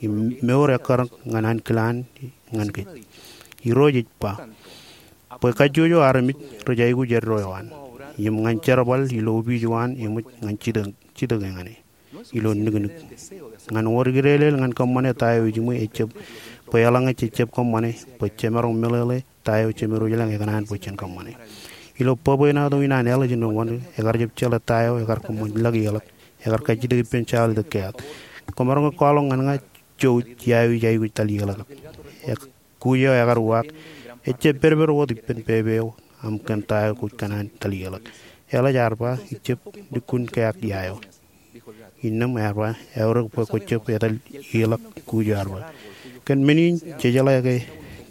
im mour ekkar ñan ankilaan ñan kōj. Irooj ej ba, bwe kajjojo armej rej aikuj eddo eo an, im ñan jerbal ilo opiij eo an eṃōj ñan jitōk, jitōk eñṇe ilo niknik. Ñan wōr ikdeelel ñan kōṃṃane ta eo ejiṃwe ejjab bwe eḷaññe jejjab kōṃṃane bwe jemaroñ meḷeḷe ta eo Jemedwōj ilañ ekōṇaan bwe jen kōṃṃane. Ilo bwebwenato in an Alice in Wonderland, ekar jab jeḷā ta eo ekar kōṃṃan laḷ ieḷọk, ekar kajjitōk ippān Charlie the Cat. Kwōmaroñ ke kwaḷọk ñan ña jouj ia eo ij aikuj laḷ ieḷọk. Kuj eo ekar uwaak, Ejjab pedped wōt ippān pepe eo aṃ kōn ta eo kwōj kōṇaan etal ieḷọk. Eḷap ear ba, ijjab lukkuun keak ia eo. Innām ear ba, eaorōk bwe kwōj jab etal ieḷọk, kuj ear ba. Kōn men in, jejeḷā ke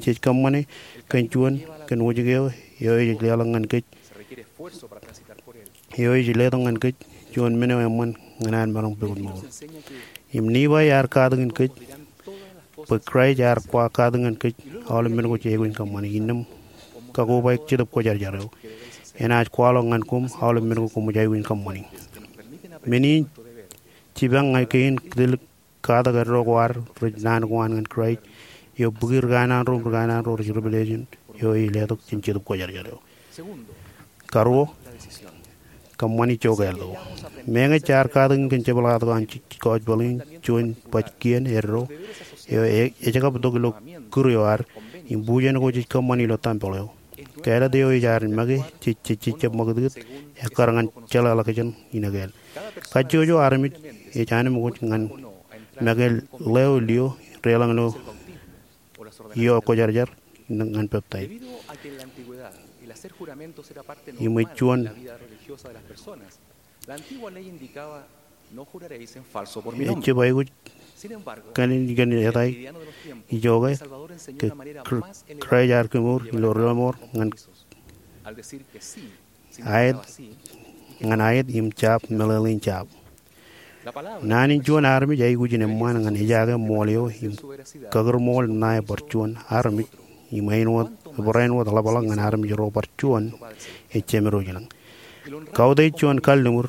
jej kōṃṃane kōn juon kōn wōjke eo, eo ej leḷọk ñan kōj eo ej letok ñan kōj juon men eo eṃṃan ñan an maroñ pukot mour. Im Nifai ear katakin kōj bwe Kraist ear kwaḷọk katakin kōj aolep men ko jej aikuj in kōṃṃane. Innām kakobaik Jetōb Kwōjarjar eo enaaj kwaḷọk ñan koṃ aolep men ko koṃij aikuj in kōṃṃane. Men in jipañ ñan kein kōtōlik katak eddo ko ad rej naan ko an ñan Kraist eo bōki ri kanaan ro im ri kanaan ro rej Revelation eo ej letok jān Jetōb Kwōjarjar eo. Karuo, kōṃṃani ijo kāālōt ko. Meñe jaar katakin kōn jepḷaaktok an Jisōs kōjpaḷ in, juon baj kien eddo eo ej kab tok ilo kūr eo ad im bujen ko jej kōṃṃani ilo tempeḷ eo. Kāālōt eo ej ad make jej jejjab ṃakūtkūt ekkar ñan jeḷāḷọkjeṇ in ekāāl. Kajjojo armej ej anemkwōj ñan make ḷeo lio deḷọñ ilo ioon kwōjarjar ñan peptaij. Im ej juon ejjab aikuj kōn in kōn etal ijoke ke Kraist ear kemour ilo ri-lọmọọr ñan aet, ñan aet im jab meḷeḷein jab. Naan in juon armej aikuj in eṃṃaan ñan ejaake ṃool eo im kakūrṃool ṇae bar juon armej im āinwōt, barāinwōt ḷapḷọk ñan armej ro bar juon ej jemedwōj ilañ. Kautiej juon kalliṃur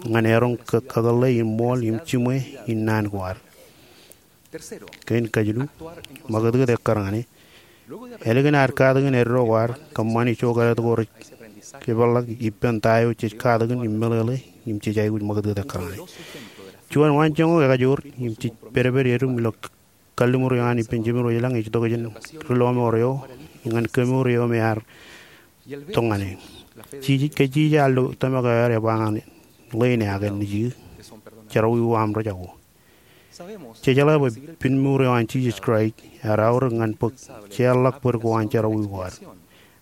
ñan eroñ kakōḷḷe in ṃool im jiṃwe in naan ko ad. Kein kajilu, ṃakūtkūt ekkar ñan e. Ālikin ad katakin eddo ko ad, kōṃṃani ijo kāālōt ko rej jepeḷḷọk ippān ta eo jej katakin im meḷeḷe im jej aikuj ṃakūtkūt ekkar ñan e. Juon waanjoñak ekajoor im jej pedped edūm ilo kalliṃur eo an ippān jemedwōj ilañ ej tok jān ri-lọmọọr eo ñan kemour eo me ear tok ñan e. Jijej, kajjitōk ilo tōmak eo ad ej ba ñan ḷein e, Ak nejū, jerọwiwi aṃ rej jako. Jejeḷā bwe pinmour eo an Jisōs Kraist ear aorōk ñan bōk jeorḷọk bōd ko an jerọwiwi ko ad.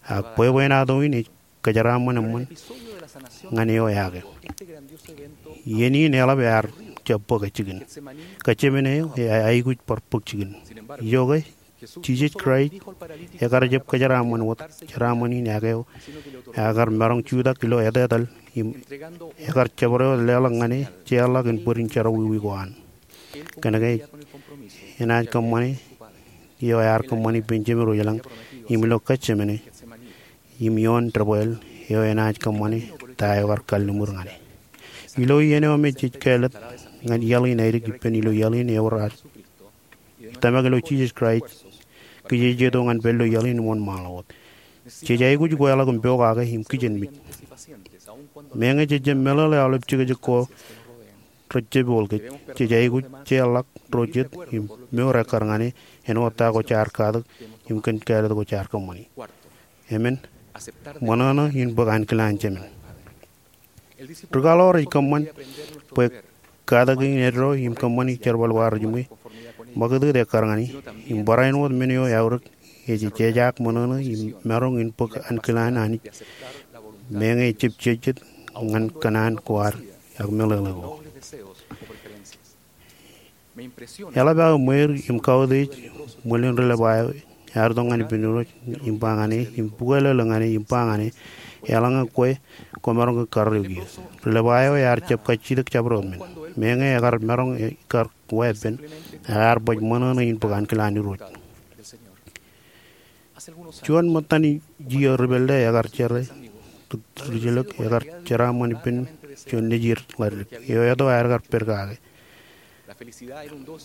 Ak bwebwenato in ej kōjeraaṃṃan eṃṃan ñan eo eake. Iien in eḷap ear jab bōk jikin. Kōjemāne eo ej aikuj bar bōk jikin. Ijoke, Jisōs Kraist ekar jab kōjeraaṃṃan wōt jeraaṃṃan in eake eo, ekar maroñ jutak ilo etetal im ekar jabdewōt leḷọk ñan e jeorḷọk in bōd in jerọwiwi ko an. Kōnke enaaj kōṃṃane eo ear kōṃṃan ippān jemedwōj ilañ im ilo Getsemane im ioon debwāāl eo enaaj kōṃṃane ta eo ekar kalliṃur ñan e. Ilo iien eo me jej kāālōt ñan iaḷ in aelōñ ippān ilo iaḷ in ewōr ad tōmak ilo Jisōs Kraist, kijejeto ñan pād ilo iaḷ in wōnṃaanḷọk wōt. Jej aikuj kweḷọk im pokake im kijenmej. Meñe jej jab meḷeḷe aolep jekjek ko rej jab ioḷ kōj, jej aikuj jeorḷọk ro jet im mour ekkar ñan e āinwōt ta ko jaar katak im kōn kāālōt ko jaar kōṃṃani. Emān, ṃōṇōṇō in bōk ankilaan jemān. Ri-kaḷoor ej kōṃṃan bwe katakin eddo im kōṃṃani jerbal ko ad rej jiṃwe, ṃakūtkūt ekkar ñan e, im barāinwōt men eo eaorōk ej jejaak ṃōṇōṇō im maroñ in bōk ankilaan Anij meñe ejjab jejjet ñan kōṇaan ko ad ak meḷeḷe ko. Eḷap aō ṃweir im kautiej ṃwilin ri-Levai eo ear itok ñan ippān Irooj im ba ñan e, im bukweḷeḷe ñan e im ba ñan e, eḷaññe kwe, kwōmaroñ ke karreo kiiō. Ri-Levai eo ear jab kajjitōk jabdewōt men. Meñe ekar maroñ ikar weeppān, ear baj ṃōṇōṇō in bōk ankilaan Irooj. Juon ṃōttan iiō ri-pālle ekar jere ri-jelōk, ekar jeraaṃṃan ippān juon nejid ḷaddik eo eto aer kar pād kake.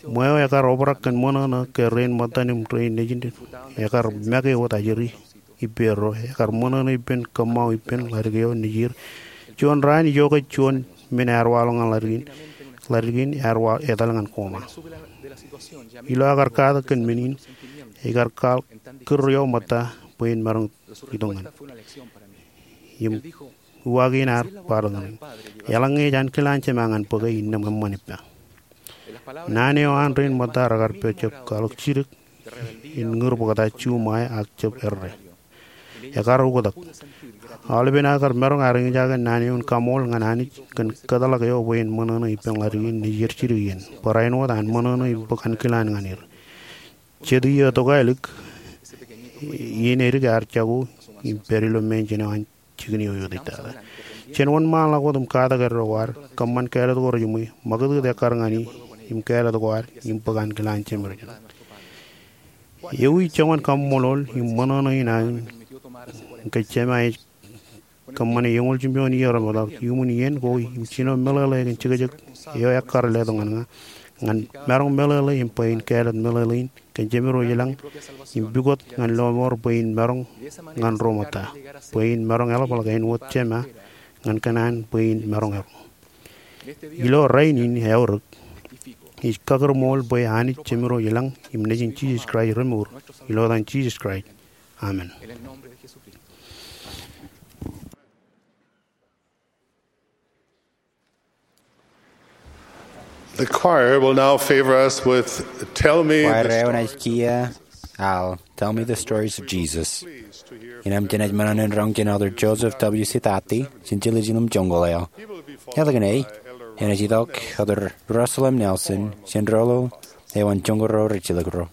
Ṃweo ekar obrak kōn ṃōṇōṇō ke rein ṃōttan im rein nejin ekar make wōt ajri ippāerro, ekar ṃōṇōṇō ippān kōṃṃao ippān ḷaddik eo nejid. Juon raan ijoke juon men ear waḷọk ñan ḷaddik in, ḷaddik in ear wa etal ñan kōṃṃa. Ilo aō kar katak kōn men in, ekar kwaḷọk kūr eo ṃōtta bwe en maroñ itok ñan. Im uwaak in ear kwaḷọk ñan e, eḷaññe ej ankilaan Jema ñan bōke, innām eṃṃan ippa. Naan eo an rein ṃōtta rekar pojak kwaḷọk jidik in ñūr bōkta juṃae ak jab erre. Ekar ukōtak. Aolepen aō kar maroñ aer eñjake naan eo in kaṃṃool ñan Anij kōn kōtḷọk eo bwe en ṃōṇōṇō ippān ḷaddik in nejier jidik iien. Barāinwōt an ṃōṇōṇō im bōk ankilaan ñan er. Jet iiō tokālik, iien edik ear jako im pād ilo mejān eo an jikin eo eutiejtata. Jen wōnṃaanḷọk wōt im katak eddo ko ad, kōṃṃan kāālōt ko rejiṃwe, ṃakūtkūt ekkar ñan e, im kāālōt ko ad, im bōk ankilaan Jemem ro jeḷā. Ewi joñan kaṃṃoolol im ṃōṇōṇō in aō in ke Jema ej kōṃṃane eñoul jimjuon iiō remootḷọk iuṃwin iien ko im jino meḷeḷe kōn jekjek eo ekkar letok ñan ña, ñan maroñ meḷeḷe im bwe in kāālōt meḷeḷein kōn Jemem ro ilañ, im pukot ñan lọmọọr bwe in maroñ ñan ro ṃōtta, bwe in maroñ eḷapḷọk āinwōt Jema ñan kōṇaan bwe in maroñ eḷap. Ilo rainin eaorōk, ij kakūrṃool bwe Anij Jemem ro ilañ im Nejin Jisōs Kraist remour, ilo etan Jisōs Kraist. Amen. The choir will now favor us with Tell Me Kwaer the eo enaaj Stories kiiō al Tell Me the Stories of Jesus. Innām jenaaj ṃōṇōṇō in roñ jān Elder Joseph W. Sidati, jān Jerusalem joñoul eo. Eḷap ñan e, enaaj itok Elder Russell M. Nelson, jān Rōḷḷōḷ eo an joñoul ro rijjilōk ro.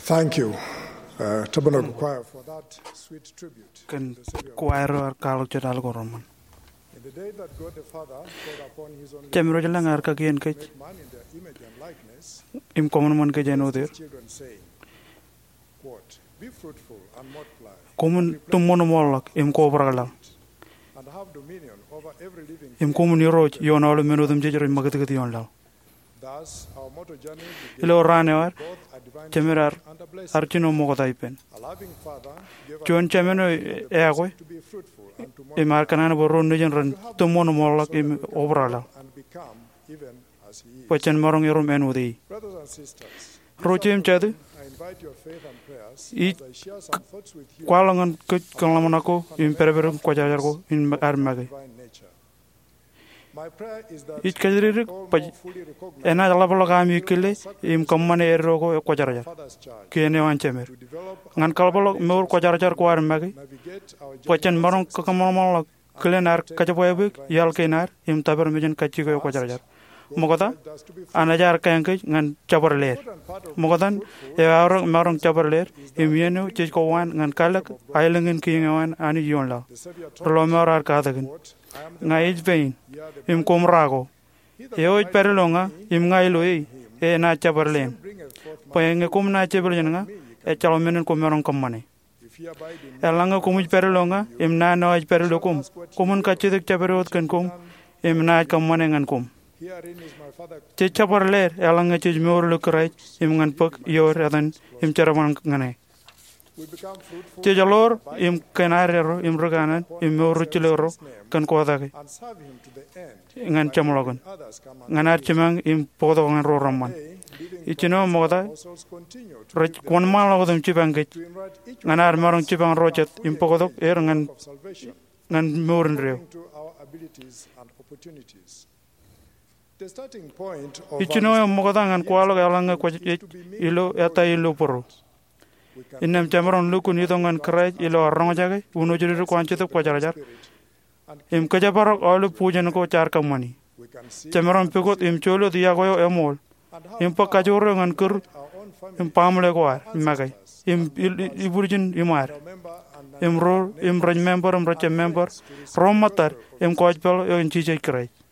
Thank you, uh, Tabernacle Choir, for that sweet tribute. Kōn kwaer eo ear kwaḷọk jet al ko reṃṃan. In the day that God the Father poured upon his only Jemedwōj lañ ear kakien kōj, great man in their image and likeness, im kōṃanṃan kōj āinwōt er, children saying, quote, "Be fruitful and multiply, koṃwin tūṃṃoon im orḷọk im kobrak laḷ, and have dominion over every living im thing koṃwin irooj ioon aolep men otemjej rej ṃakūtkūt ioon laḷ." Ilo raan eo ad, jemed ear, ear jino ṃokta ippān. Juon Jemān eo eakwe, im ear kōṇaan bwe ro nejin ren tūṃṃoon im orḷọk im obrak laḷ. Bwe jen maroñ erom āinwōt e. Ro jeiū im jatū, ij kwaḷọk ñan kōj kōn ḷōmṇak ko im pedped in Kwōjarjar ko in ad make. Ij kōjatdikdik bwe enaaj ḷapḷọk ami kile im kōṃṃane eddo ko e Kwōjarjar, kien eo an jemed, ñan kaḷapḷọk mour kwōjarjar ko ad make, bwe jen maroñ kōṃanṃanḷọk kilen ad kōjebwābwe iaḷ kein ad im tōpar mejān kajjiko e Kwōjarjar. Ṃokta, an ejaar kaeñ kōj ñan jabdewōt leer. Ṃokta in eo aorōk maroñ jabdewōt leer, im iien eo jej kowaan ñan kalōk aelōñ in kiiō eo an Anij ioon laḷ. Ri lọmọọr ear katakin, "Ña ij pein, im koṃ ra ko. Eo ej pād ilo ña, im ña ilo e, enaaj jabdewōt lein. Bwe ñe koṃ naaj jepel jān ña, ejjeḷọk men in koṃ maroñ kōṃṃane. Eḷaññe koṃij pād ilo ña, im naan eo ij pād ilo koṃ, koṃwin kajjitōk jabdewōt kōn koṃ, im naaj kōṃṃane ñan koṃ." Jej jabdewōt leer eḷaññe jej mour ilo Kraist im ñan bōk ioer etan im jerbal ñan e. Jej ḷoor im kōn ad erro im ri kanaan im mour ri jilōk erro kōn kotake ñan jeṃḷọkin, ñan ad jimañ im bōktok ñan ro reṃṃan. Ijjino ṃokta, rej wōnṃaanḷọk wōt im jipañ kōj ñan ad maroñ jipañ ro jet im bōktok er ñan, ñan mour indeeo. Ijjino eo ṃokta ñan kwaḷọk eḷaññe kwōj ej ilo ettā ilo bōro. Innām jemaroñ lukkuun itok ñan Kraist ilo ad roñjake wūnooj dikdik ko an Jetōb Kwōjarjar im kōjparok aolep bujen ko jaar kōṃṃani. Jemaroñ pukot im joḷọk iọkwe eo eṃool im bōk kajoor eo ñan kūr im baaṃle ko ad make im il-, ibwiljin iṃaad im ro im rej member im rejjab member ro ṃōttad im gospel eo an Jisōs Kraist.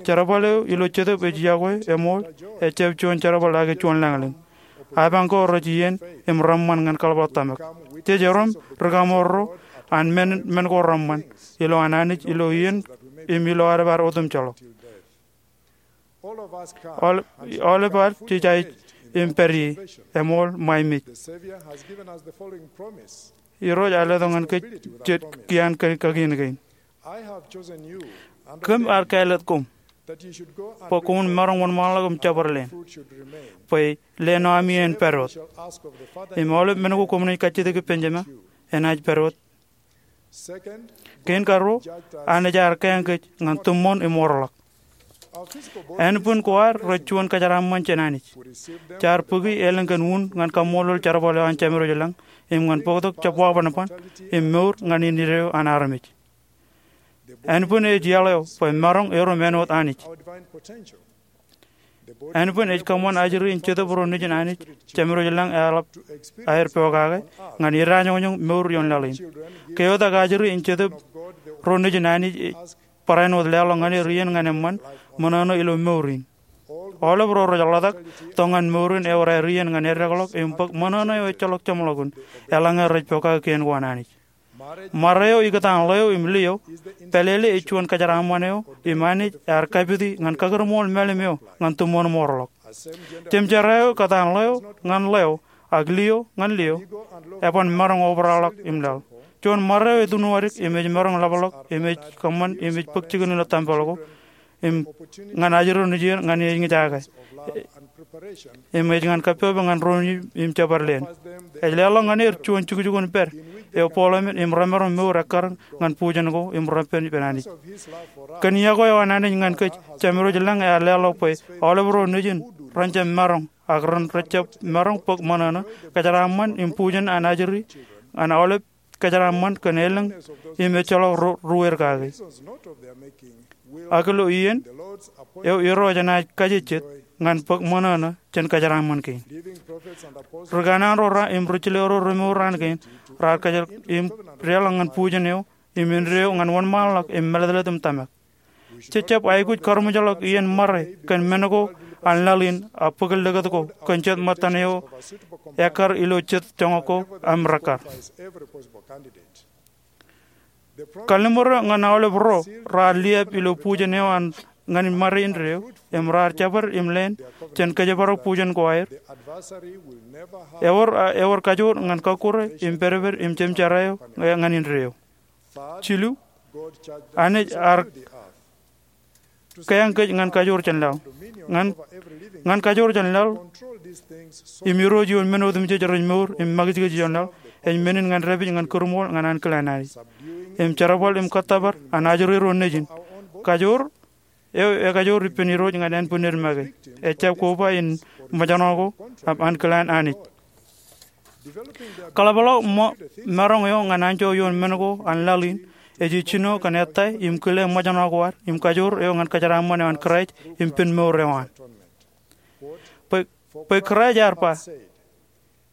Jerbal eo ilo Jetōb ej iọkwe eṃool, ejjab juon jerbal ake juon lañlōñ. Apañ ko rej iien im reṃṃan ñan kaḷapḷọk tōmak. Jej erom ri kaṃoorro an men, men ko reṃṃan ilo an Anij ilo iien im ilo aolep ad otemjejḷọk. Aolep, aolep ad jej aikuj im pād ie, eṃool ṃae mej. Irooj ear letok ñan kōj jet kiaan kakien kein. Kōm ar kāālōt koṃ bwe koṃwin maroñ wōnṃaanḷọk im jabdewōt lein, bwe leen eo ami en pād wōt. Im aolep men ko koṃ naaj kajjitōk ippān Jema, enaaj pād wōt. Kein karuo, Anij ear kāāñ kōj ñan tūṃṃoon im orḷọk. Ānbwin ko ad rej juon kōjeraaṃṃan jān Anij. Jaar bōki elōñ kōn un ñan kaṃṃoolol jerbal eo an Jemedwōj lañ, im ñan bōktok jab wabanban im mour ñan indeeo an armej. Ānbwin ej iaḷ eo bwe maroñ erom āinwōt Anij. Ānbwin ej kōṃṃan ajri in Jetōb ro nejin Anij, Jemedwōj lañ eḷap aer pokake ñan idajoñjoñ mour ioon laḷ in. Ke eotak ajri in Jetōb ro nejin Anij ej barāinwōt leḷọk ñan er iien ñan eṃṃan ṃōṇōṇō ilo mour in. Aolep ro rej ḷotak tok ñan mour in ewōr aer iien ñan eddekḷọk im bōk ṃōṇōṇō eo ejjeḷọk jeṃḷọkin eḷaññe rej pokake kien ko an Anij. Ṃare eo ikōtaan ḷeo im liō, pālele ej juon kōjeraaṃṃan eo im Anij ear kapiti ñan kakūrmool mālim eo ñan tūṃṃoon im orḷọk. Jemjerā eo kōtaan ḷeo ñan ḷeo ak liō ñan liō, eban maroñ obrakḷọk im laḷ. Juon ṃare eo etūnwōdik im ej maroñ ḷapḷọk im ej kōṃṃan im ej bōk jikin ilo tempel ko im ñan ajri nejien ñan ej ñe jake im ej ñan kappok ñan ro nejin im jabdewōt lein. Ej leḷọk ñan er juon jukjuk in pād eo bōḷamen im remaroñ mour ekkar ñan bujen ko im repen ippān Anij. Kōn iọkwe eo an Anij ñan kōj, Jemedwōj lañ ear leḷọk bwe aolep ro nejin ren jab maroñ ak ren rejjab maroñ bōk ṃōṇōṇō, kōjeraaṃṃan im bujen an ajri an aolep kōjeraaṃṃan kōn elōñ im ejjeḷọk ro ruweir kake. Ak ilo iien eo Irooj enaaj kajejjet ñan bōk ṃōṇōṇō jān kōjeraaṃṃan kein. Ri kanaan ro raar im ri jilōk ro remour raan kein raar kōjro im deḷọñ ñan bujen eo im indeeo ñan wōnṃaanḷọk im mālōtlōt im tōmak. Jej jab aikuj karuṃwijḷọk iien ṃare kōn men ko an laḷ in ak bōk likūt ko kōn jet ṃōttan eo ekkar ilo jet joñak ko im rekkar. Kalliṃur eo ñan aolep ro raar liab ilo bujen eo an ñan ṃare indeeo im raar jabdewōt im leen jān kōjparok bujen ko aer. Ewōr, ewōr kajoor ñan kọkkure im pedped im jemjerā eo ñan indeeo. Jilu, Anij ear kōyañ kōj ñan kajoor jān laḷ. Ñan, ñan kajoor jān laḷ im irooj ioon men otemjej rej mour im makijkij ioon laḷ, ej men in ñan dāpij ñan kūrṃool ñan ankilaan Anij im jerbal im kōttōpar an ajri ro nejin. Kajoor eo ekajoor ippān irooj ñan ānbwinned make. Ejjab koba in ṃōjṇọ ko im ankilaan Anij. Kaḷapḷọk ṃō maroñ eo ñan anjọ ioon men ko an laḷ in ej ijjino kōn ettā im kile ṃōjṇọ ko ad im kajoor eo ñan kōjeraaṃṃan eo an Kraist im pen mour eo an. Bwe, bwe Kraist ear ba,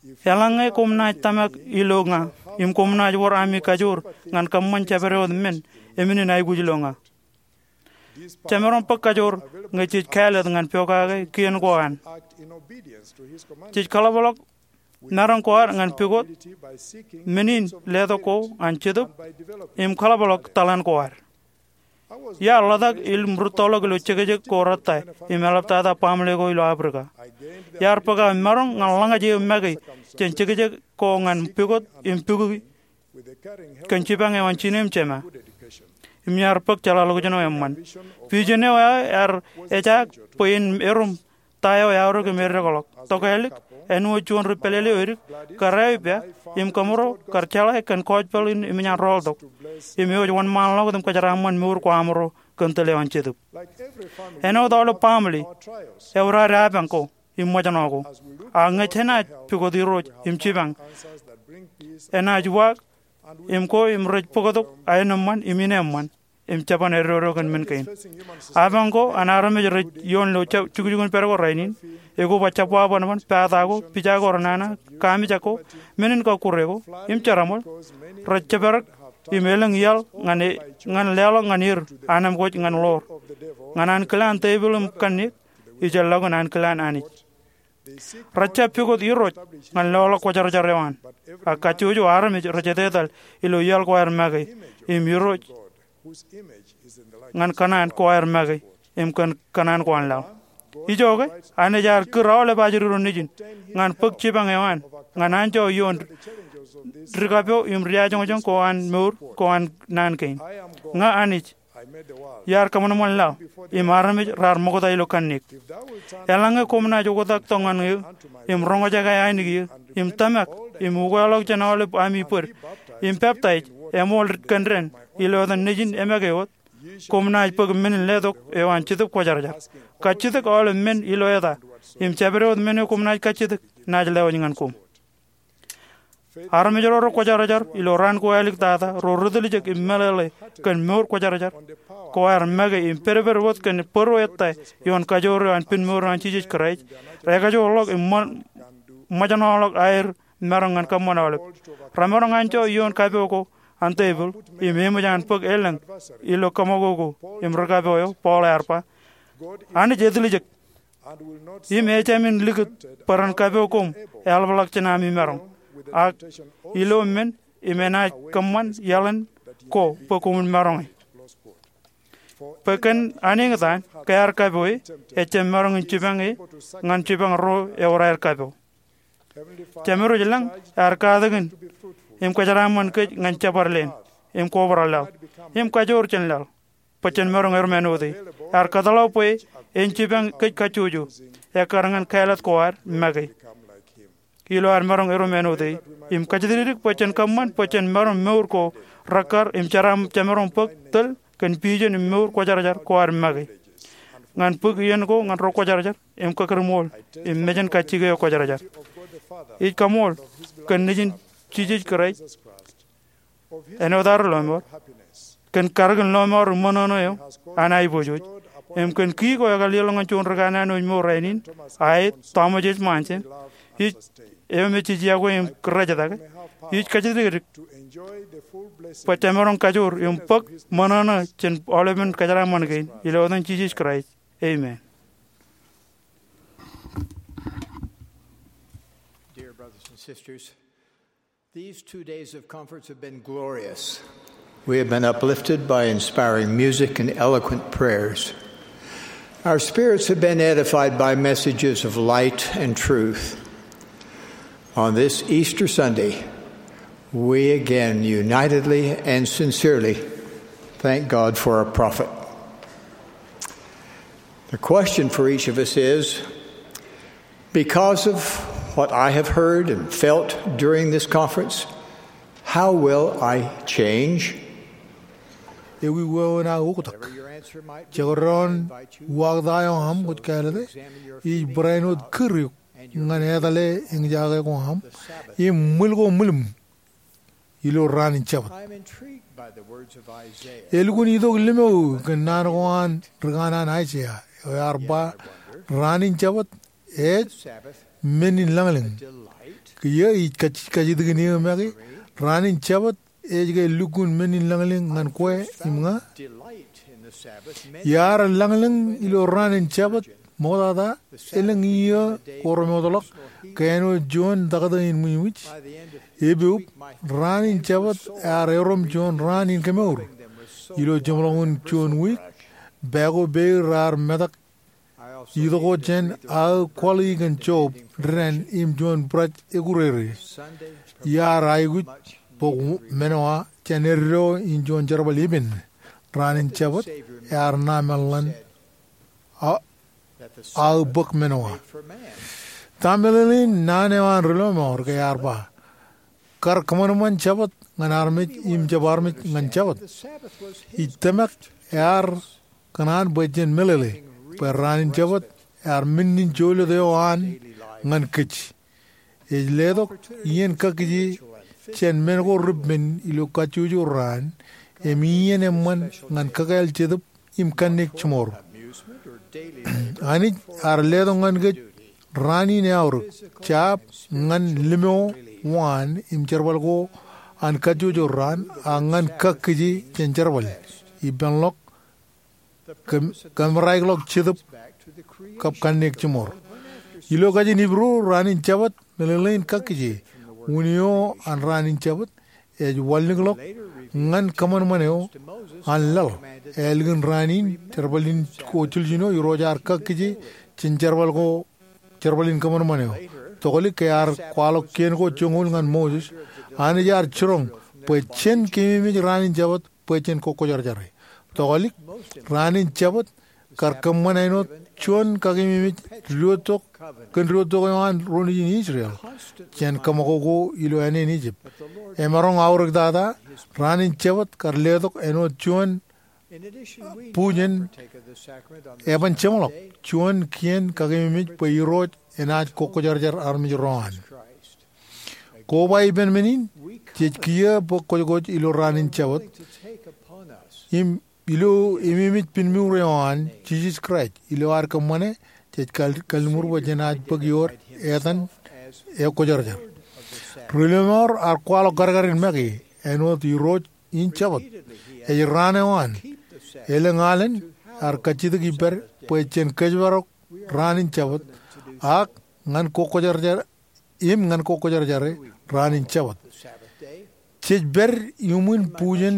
eḷaññe koṃ naaj tōmak ilo ña im koṃ naaj wōr ami kajoor ñan kōṃṃan jabdewōt men, eṃṃan in aikuj ilo ña. Jemaroñ bōk kajoor ñe jej kāālōt ñan pokake kien ko an. Jej kaḷapḷọk maroñ ko ad ñan pukot men in letok ko an Jetōb im kaḷapḷọk taḷan ko ad. Iar ḷotak im rūttoḷọk ilo jekjek ko rettā im eḷaptata baaṃle ko ilo Aprika. Iar bōk aō maroñ ñan ḷōñaj eō make jān jekjek ko ñan pukot im pukwi kōn jipañ eo an jine im jema. Im iar bōk jeḷāḷọkjeṇ eo eṃṃan. Vision eo aō ear ejaak bwe en erom ta eo eaorōk im eddekḷọk. Tokālik, āinwōt juon ri pālele eo edik, kar aō ippa im kōmro kar jeḷā kōn gospel in eṃōj an rọọltok im ewōj wōnṃaanḷọk im kōjeraaṃṃan mour ko aṃro kōn tōl eo an Jetōb. Āinwōt aolep baaṃle, ewōr ad apañ ko im ṃōjṇọ ko. Ak ñe jenaaj pukot Irooj im jipañ, enaaj uwaak im ko im rej bōktok aenōṃṃan im ineeṃṃan im jeban eddodo kōn men kein. Apañ ko an armej rej ioon ilo jukjukun pād ko rainin, ekoba jab wabanban, pata ko, pija ko renana, kamijak ko, men in kọkkure ko im jeraṃōl, rej jepdek im elōñ iaḷ ñan e, ñan leḷọk ñan er anemkwōj ñan ḷoor, ñan ankilaan tepil im kanniōk, ijellọkin ankilaan Anij. Rej jab pukot Irooj ñan loḷọk kwōjarjar eo an. Ak kajjojo armej rej etetal ilo iaḷ ko aer make im Irooj ñan kōṇaan ko aer make im kōn kōṇaan ko an laḷ. Ijoke, Anij ear kūr aolep ajri ro nejin ñan bōk jipañ eo an ñan anjọ ioon dikapo im diajoñjoñ ko an mour ko an naan kein. Ña Anij, iar kōṃanṃan laḷ im armej raar ṃokta ilo kanniōk. Eḷaññe koṃ naaj oktak tok ñan eō im roñjake ainikieō im tōmak im ukeḷọk jān aolep ami bōd im peptaij eṃool kōn dān ilo etan Nejin emake wōt, koṃ naaj bōk men in letok eo an Jetōb Kwōjarjar. Kajjitōk aolep men ilo eta im jabdewōt men eo koṃ naaj kajjitōk naaj lewōj ñan koṃ. Armej ro rekwōjarjar ilo raan ko āliktata ro ri tiljek im meḷeḷe kōn mour kwōjarjar ko aer make im pedped wōt kōn bōro ettā ioon kajoor eo an pen mour eo an Jisōs Kraist, rekajoorḷọk im ṃō, ṃōjṇọḷọk aer maroñ ñan kōṃṃan aolep. Remaroñ anjọ ioon kapo ko an tepil im eṃōj an bōk elōñ ilo kōṃakoko im ri kapo eo. Paul ear ba, Anij etiljek im ejāmin likūt bwe ren kapo koṃ eḷapḷọk jān ami maroñ, ak ilo men im enaaj kōṃṃan iaḷan ko bwe koṃwin maroñe. Bwe kōn aneeñtaan ke ear kapoe, ejjab maroñ in jipañe ñan jipañ ro ewōr aer kapo. Jemedwōj lañ ear katakin im kōjeraaṃṃan kōj ñan jabdewōt leen im kobrak laḷ im kajoor jān laḷ bwe jen maroñ erom āinwōte. Ear kōtḷọk bwe en jipañ kōj kajjojo ekkar ñan kāālōt ko ad make ilo ad maroñ erom āinwōte im kajjitōk bwe jen kōṃṃan bwe jen maroñ mour ko rekkar im jemaroñ bōk tōl kōn vision im mour kwōjarjar ko ad make ñan bōk iien ko ñan ro kwōjarjar im kakūrṃool im mejān kajjike eo kwōjarjar. Ij kaṃool kōn Nejin Jisōs Kraist āinwōt ad lọmọọr kōn karōkin lọmọọr im ṃōṇōṇō eo an aiboojoj. im kōn ki ko ekar leḷọk ñan juon ri kanaan wōj mour rainin, aet, Thomas H. Monson, ij, eo me jej iọkwe im kōrejtake, ij kajjitōk eok bwe jemaroñ kajoor im bōk ṃōṇōṇō jān aolepen kōjeraaṃṃan kein. Ilo etan Jisōs Kraist, amen. Dear brothers and sisters, these two days of conference have been glorious. We have been uplifted by inspiring music and eloquent prayers. Our spirits have been edified by messages of light and truth. On this Easter Sunday, we again unitedly and sincerely thank God for our prophet. The question for each of us is, because of what I have heard and felt during this conference, how will I change? Ewi wāween aō oktak? Jekdọọn uwaakta eo aṃ kwōj kāālōte, ij barāinwōt kūr eok ñan etale eñjake ko aṃ im ṃwil ko ṃwilōṃ ilo raan in Jabōt. Elukkuun itok limō kōn naan ko an ri kanaan Aiseia eo ear ba, raan in Jabōt ej men in lañlōñ. Kiiō ij kaj-, kajjitōkin eō make, raan in Jabōt ej ke lukkuun men in lañlōñ ñan kwe im ña? Iar lañlōñ ilo raan in Jabōt ṃoktata, elōñ iiō ko remootḷọk ke āinwōt juon taktō in ṃwijṃwij. Epoop, raan in Jabōt ear erom juon raan in kemour. Ilo jeṃḷọkin juon wiik, pā ko peiū raar metak itok wōt jān aō kwaḷi kōn Job, dān im juon būraj ekurere. Iar aikuj bōk men eo an eddo in juon jerbal epen. Raan in Jabōt ear ṇa meḷeḷein a-, aō bōk men eo an. Ta meḷeḷein naan eo an ri lọmọọr ke ear ba, kar kōṃanṃan Jabōt ñan armej im jab armej ñan Jabōt? Ij tōmak ear kōṇaan bwe jen meḷeḷe bwe raan in Jabōt ear men in jolōt eo an ñan kōj. Ej letok iien kakkije jān men ko repen ilo kajjojo raan im iien eṃṃan ñan kakāāl jetōb im kanniōk jiṃor. Anij ear letok ñan kōj raan in eaorōk, jab ñan limō waan im jerbal ko an kajjojo raan, ak ñan kakkije jān jerbal, ippānḷọk, kōm-, kōmraikḷọk jetōb kab kanniōk jiṃor. Ilo kajin Hibru, raan in Jabōt meḷeḷein kakkije. Unin eo an raan in Jabōt ej wanlikḷọk ñan kōṃanṃan eo an laḷ. Ālikin raan in, jerbal in ko jiljino, Irooj ear kakkije jān jerbal ko, jerbal in kōṃanṃan eo. Tokālik ke ear kwaḷọk kien ko joñoul ñan Moses, Anij ear jiroñ bwe jen keememej raan in Jabōt bwe jen kokkwōjarjare. Tokālik, raan in Jabōt kar kōṃṃan āinwōt juon kakememej diwōjtok kōn diwōjtok eo an ro nejin Israel jān kōṃakoko ilo āne in Ijip. Emaroñ aorōktata, raan in Jabōt kar letok āinwōt juon bujen eban jeṃḷọk, juon kien kakememej bwe Irooj enaaj kokkwōjarjar armej ro an. Koba ippān men in, jej kiiō bōk kwōjkwōj ilo raan in Jabōt im ilo ememej piṃṃour eo an Jisōs Kraist ilo ad kōṃṃane, jej kal-, kalliṃur bwe jenaaj bōk iood etan ekwōjarjar. Ri lọmọọr ear kwaḷọk kadkadin make āinwōt Irooj in Jabōt ej raan eo an. Elōñ alen ear kajjitōk ippād bwe jen kōjparok raan in Jabōt ak ñan kokkwōjarjar im ñan kokkwōjarjare raan in Jabōt. Jej pād iuṃwin bujen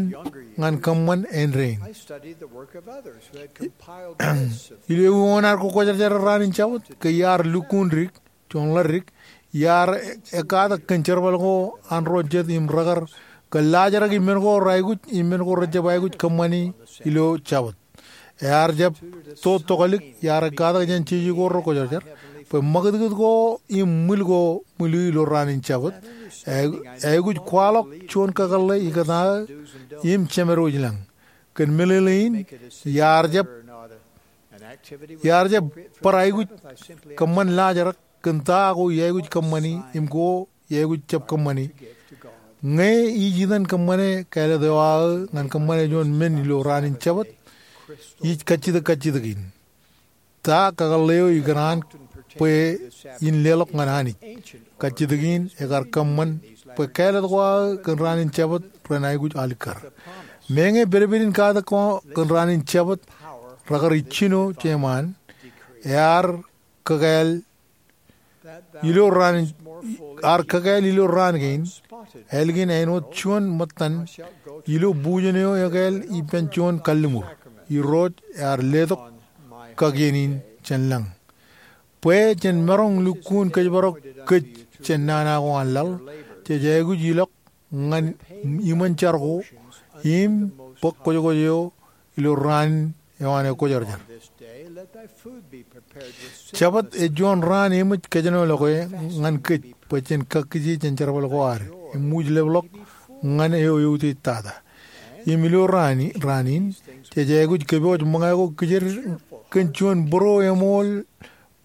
ñan kōṃṃan āindein. Ilo ewi wōn ad kokkwōjarjare raan in Jabōt? Ke iar lukkuun dik, juon ḷadik, iar ekkatak kōn jerbal ko an ro jet im rekar kōllaajrak im men ko reaikuj im men ko rejjab aikuj kōṃṃani ilo Jabōt. Ear jab to tokālik, iar ekkatak jān jeje ko rekwōjarjar, bwe ṃakūtkūt ko im ṃwil ko ṃwiliu ilo raan in Jabōt, e-, eaikuj kwaḷọk juon kakōḷḷe ikōtaan im jemedwōj lañ. Kōn meḷeḷein, iar jab, iar jab bar aikuj kōṃṃan laajrak kōn ta ko iaikuj kōṃṃani im ko iaikuj jab kōṃṃani. Ñe ij itōn kōṃṃane kāālōt eo aō ñan kōṃṃane juon men ilo raan in Jabōt, ij kajjitōk kajjitōk in. Ta kakōḷḷe eo ikōṇaan bwe in leḷọk ñan Anij? Kajjitōk in ekar kōṃṃan bwe kāālōt ko aō kōn raan in Jabōt ren aikuj alikkar. Meñe pedped in katak ko kōn raan in Jabōt rekar ijjino jeṃaan, ear kakāāl ilo raan, ear kakāāl ilo raan kein, ālikin āinwōt juon ṃōttan ilo bujen eo ekāāl ippān juon kalliṃur. Irooj ear letok kakien in jān lañ. Bwe jen maroñ lukkuun kōjparok kōj jān nana ko an laḷ, jej aikuj ilọk ñan iṃōn jar ko im bōk kwōjkwōj eo ilo raan eo an ekwōjarjar. Jabōt ej juon raan eṃōj kōjenolọke ñan kōj bwe jen kakkije jān jerbal ko ad im wijlepḷọk ñan eo eutiej tata. Im ilo raan in, jej aikuj kōpooj ṃōñā ko kijer kōn juon būro eṃool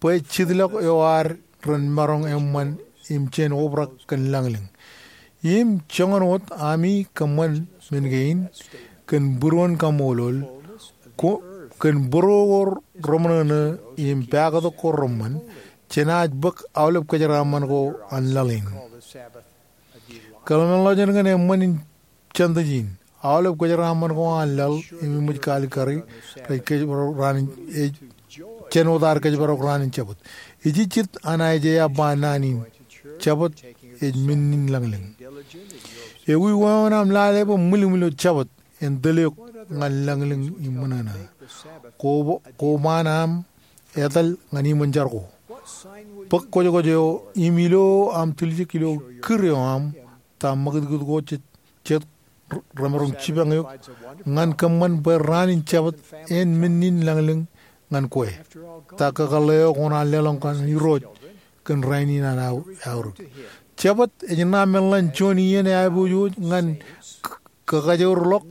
bwe jitḷọk eo ad ren maroñ eṃṃan im jen obrak kōn lañlōñ. Im joñan wōt ami kōṃṃan men kein kōn būruon kaṃṃoolol, ko, kōn būruo ko reṃōṇōṇō im pāktok ko reṃṃan, jenaaj bōk aolep kōjeraaṃṃan ko an laḷ in. Kōḷmānḷọkjeṇ kōn eṃṃan in jāntij in. Aolep kōjeraaṃṃan ko an laḷ im eṃōj kaalikkari rej kōjparok raan in, ej, jān wōt ad kōjparok raan in Jabōt. Ejejjet an Aiseia ba naan in, Jabōt ej men in lañlōñ. Ewi wāween aṃ lale bwe ṃwilimṃwil eo Jabōt en tōl eok ñan lañlōñ im ṃōṇōṇō? Ko, ko ṃaan aṃ etal ñan iṃōn jar ko. Bōk kwōjkwōj eo im ilo aṃ tiljek ilo kūr eo aṃ ta ṃakūtkūt ko jet, jet remaroñ jipañ eok ñan kōṃṃan bwe raan in Jabōt en men in lañlōñ ñan kwe? Ta kakōḷḷe eo koṇaan leḷọk ñan Irooj kōn rainin an aorōk? Jabōt ej ṇa men ḷan juon iien eaiboojoj ñan k-, kakajoorḷọk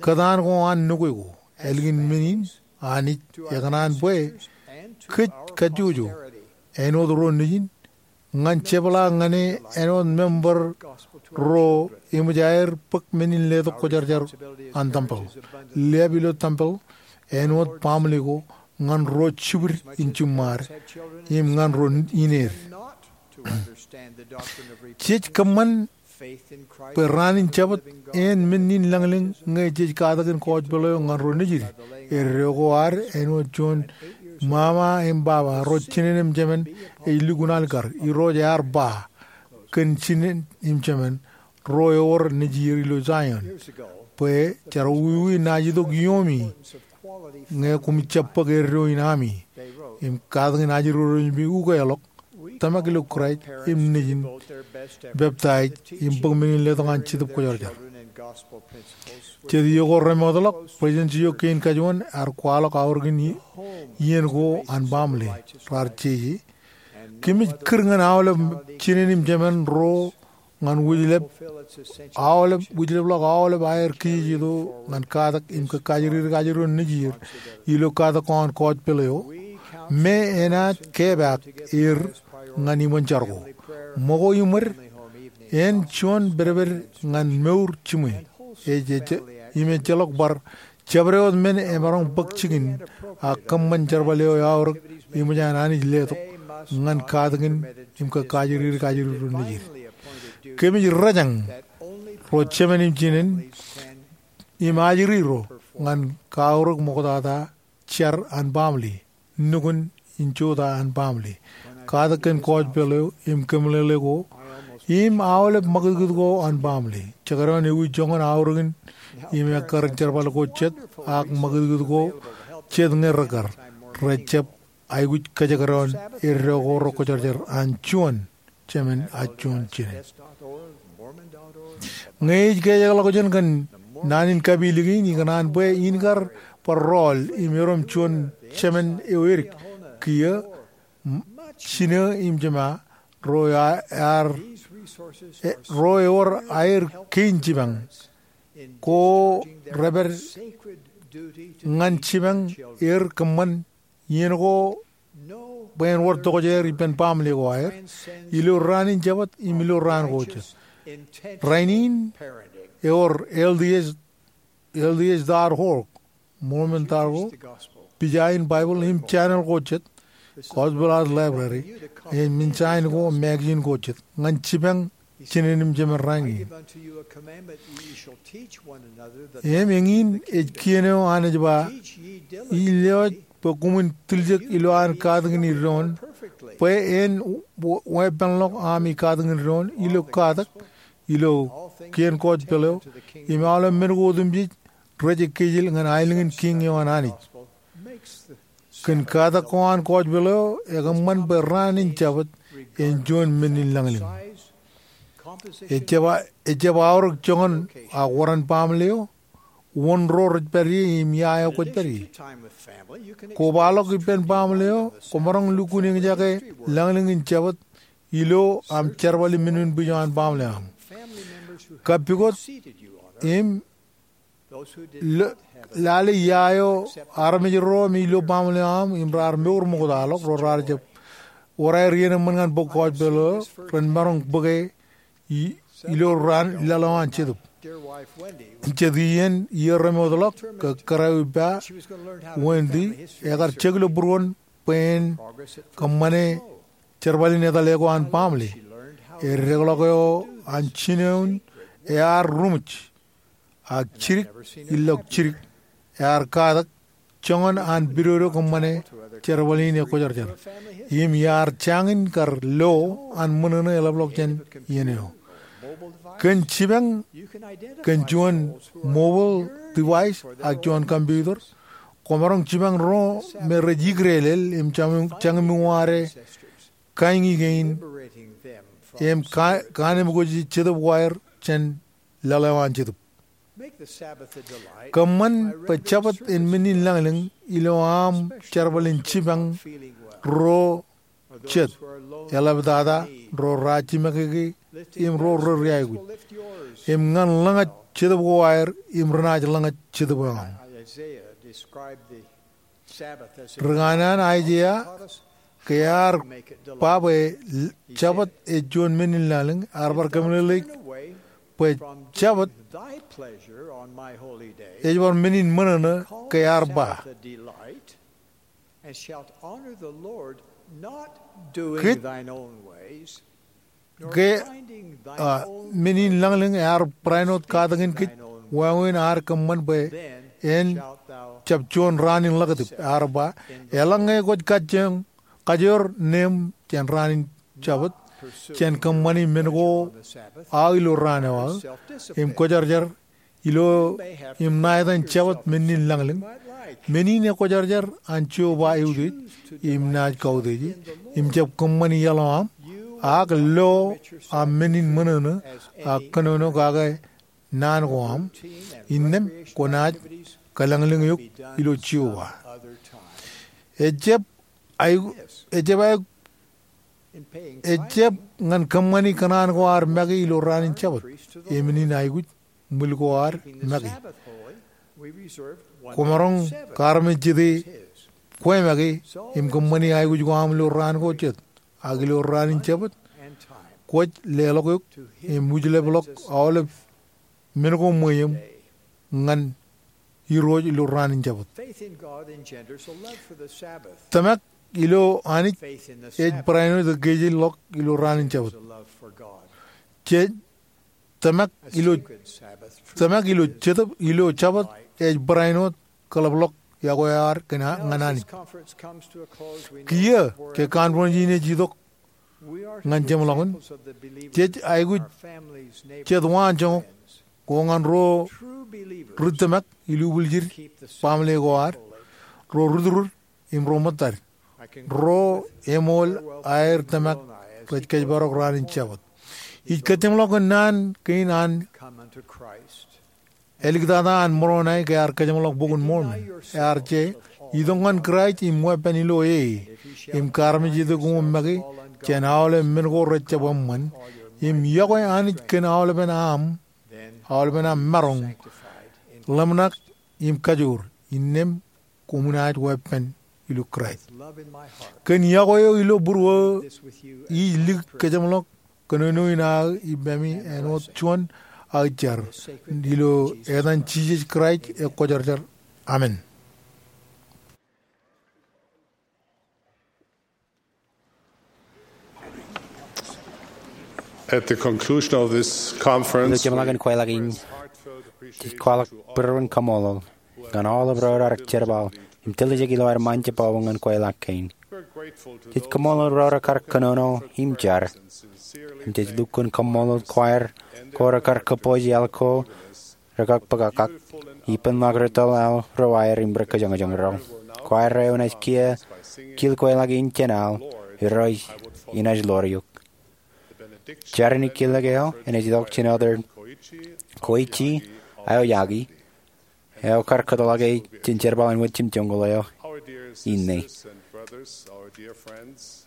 kōtaan ko an nukwe ko. Ālikin men in, Anij ekōṇaan bwe kōj kajjojo, āinwōt ro nejin, ñan jepḷaak ñan e āinwōt member ro eṃōj aer bōk men in letok kwōjarjar an tempel. Liab ilo tempel āinwōt baaṃle ko ñan ro jibwid in jiṃṃaad im ñan ro ineed. Jej kōṃṃan bwe raan in Jabōt en men in lañlōñ ñe jej katakin gospel eo ñan ro nejid. Eddo ko ad āinwōt juon ṃaṃa im baba, ro jinen im jemān ej lukkuun alikkar. Irooj ear ba kōn jinen im jemān ro ewōr nejier ilo Zion bwe jar wiwi naaj itok iiōmi ñe koṃij jab bōk eddo in ami. Im katakin ajri ro nejimi ukeḷọk, tōmak ilo Kraist im nejin, peptaij im bōk men in letok an Jetōb Kwōjarjar. Jet iiō ko remootḷọk, President J. O. Kein Kajuon ear kwaḷọk aorōk in iien ko an baaṃle raar jeje. Kōmij kūr ñan aolep jinen im jemān ro ñan wūjlep, aolep, wūjlepḷọk aolep aer kijejeto ñan katak im kajjirjir ajri ro nejier ilo katak ko an gospel eo me enaaj kepaak er ñan iṃōn jar ko. Ṃōko iṃōd en juon pedped ñan mour jiṃwe. Ej, ej, im ejjeḷọk bar jabdewōt men emaroñ bōk jikin ak kōṃṃan jerbal eo eaorōk eṃōj an Anij letok ñan katakin im kōkajjirjir ajri ro nejid. Kōmij rōjañ ro jemān im jinen im ajri ro ñan kaorōk ṃoktata jar an baaṃle, nukun in jota an baaṃle, katak kōn gospel eo im kōmeḷeḷe ko im aolep ṃakūtkūt ko an baaṃle. Jekdọọn ewi joñan aorōk in im ekkar in jerbal ko jet ak ṃakūtkūt ko jet ñe rekar, rejjab aikuj kajekdọọn eddo ko rekwōjarjar an juon jemān ak juon jinen. Ñe ij kōjekḷọk jān kōn naan in kapilōk in, ikōṇaan bwe in kar bar rọọl im erom juon jemān eo edik kiiō, m-, jinō im jema, ro ear, e, ro ewōr aer kein jipañ ko repād ñan jipañ er kōṃṃan iien ko bwe en wōr tokjāer ippān baaṃle ko aer ilo raan in Jabōt im ilo raan ko jet. Rainin ewōr L D S, L D S dot org Mormon Taḷ ko, pija in Baibōḷ im channel ko jet, Gospel House Library, im Ensign ko, magazine ko jet, ñan jipañ jinen im jemen rainin. Im eñin ej kien eo Anij ba, ij lewōj bwe koṃwin tiljek ilo an katakin doon, bwe en weeppānḷọk ami katakin doon ilo katak, ilo kien kōjpeḷ eo, im aolep men ko otemjej rej ekkejel ñan aelōñ in Kiiñ eo an Anij. Kōn katak ko an kōjpeḷ eo, ekōṃṃan bwe raan in Jabōt en juon men in lañlōñ. Ejjab, ejjab aorōk joñan ak wōran baaṃle eo, wōn ro rej pād ie im ia eo kwōj pād ie. Kobaḷọk ippān baaṃle eo, kwōmaroñ lukkuun eñjake lañlōñ in Jabōt ilo aṃ jerbal im men in bwij eo an baaṃle eo aṃ. Kappukot im lo-, lale ia eo armej ro me ilo baaṃle eo aṃ im raar mour ṃoktaḷọk, ro raar jab wōr aer iien eṃṃan ñan bōk kōjpeḷ eo, ren maroñ bōke i-, ilo raan laḷ eo an Jetōb. Jet iien iiō remootḷọk, ke kōrā eo ippa, Wendy, ekar jek ilo būruon bwe en kōṃṃane jerbal in etale ko an baaṃle. Eddekḷọk eo an jinoin ear ruṃwij ak jidik ilọk jidik, ear katak joñan an pidodo kōṃṃane jerbal in ekwōjarjar. Im iar jañin kar lo an ṃōṇōṇō eḷapḷọk jān iien eo. Kōn jipañ kōn juon mobile device ak juon computer, kwōmaroñ jipañ ro me rej ikdeelel im jañ-, jañmwuoare kaiñi kein im ka-, kaanemkwōj Jetōb ko aer jān laḷ eo an Jetōb. Kōṃṃan bwe Jabōt en men in lañlōñ ilo aṃ jerbal in jipañ ro jet, eḷaptata, ro rajimọkeke, im ro rej aikuj. Im ñan ḷōñaj Jetōb ko aer im renaaj ḷōñaj Jetōb eo aṃ. Ri kanaan Aiseia, ke ear ba bwe Jabōt ej juon men in lañlōñ, ear bar kōmeḷeḷeik bwe Jabōt ej bar men in ṃōṇōṇō, ke ear ba. Kōj ke, ah, men in lañlōñ ear barāinwōt katakin kōj, wāween ear kōṃṃan bwe en jab juon raan in ḷakatip. Ear ba, eḷaññe kwōj kajjoñ, kajoor neeṃ jān raan in Jabōt, jān kōṃṃani men ko aō ilo raan eo aō, im kwōjarjar ilo im ṇa etan Jabōt men in lañlōñ. Men in ekwōjarjar an Jeova eutiej, im naaj kautieje, im jab kōṃṃani iaḷ eo aṃ, ak lo aṃ men in ṃōṇōṇō, ak kōnono kake naan ko aṃ, innām kwōnaaj kōlañlōñ eok ilo Jeova. Ejjab ae-, ejjab ae-, ejjab ñan kōṃṃani kōṇaan ko ad make ilo raan in Jabōt, e men in aikuj ṃwil ko ad make. Kwōmaroñ kaarmejjete kwe make im kōṃṃani aikuj ko aṃ ilo raan ko jet, ak ilo raan in Jabōt, kwōj leḷọk eok im wūjlepḷọk aolep men ko ṃweiem ñan Irooj ilo raan in Jabōt. Tōmak ilo Anij ej barāinwōt ekkejel ḷọk ilo raan in Jabōt. Jej tōmak ilo, tōmak ilo Jetōb, ilo Jabōt ej barāinwōt kōḷapḷọk iọkwe eo ad kōn a-, ñan Anij. Kiiō ke conference in ej itok ñan jeṃḷọkin, jej aikuj jet waanjoñak ko ñan ro ri tōmak ilubwiljid baaṃle ko ad, ro ri turur im ro ṃōttad, ro eṃool aer tōmak rej kōjparok raan in Jabōt. Ij kōjeṃḷọk kōn naan kein an āliktata an Moronai ke ear kōjeṃḷọk Bok in Mormon. Ear je, itok ñan Kraist im weeppān ilo e, im kaarmejjete koṃ make jān aolep men ko rejjab eṃṃan, im iọkwe Anij kōn aolepen aṃ, aolepen aṃ maroñ, ḷōmṇak im kajoor, innām koṃwin naaj weeppān ilo Kraist. Kōn iọkwe eo ilo būruō, ij lik kōjeṃḷọk kōnono in aō ippemi āinwōt juon aō jar. Ilo etan Jisōs Kraist ekwōjarjar. Amen. At the conclusion of this conference, ilo jeṃḷọkin kweilọk in, jej kwaḷọk būruon kaṃṃoolol ñan aolep ro raar jerbal im tiljek ilo ad ṃaanjebwabwe ñan kweilọk kein. Jej kaṃṃoolol ro rekar kōnono im jar, im jej lukkuun kaṃṃoolol choir ko rekar kōpooj iaḷ ko rekakpakakak, ippān ḷọk ri tōl aḷ ro aer im ri kōjoñjoñ ro. Choir eo enaaj kiiō kil kweilọk in jān aḷ, Irooj, inaaj ḷoor eok. Jar in kilōk eo enaaj itok jān Elder Koichi Aoyagi, eo kar kōtḷọk e jān jerbal in wōt jimjuon ko eo inne.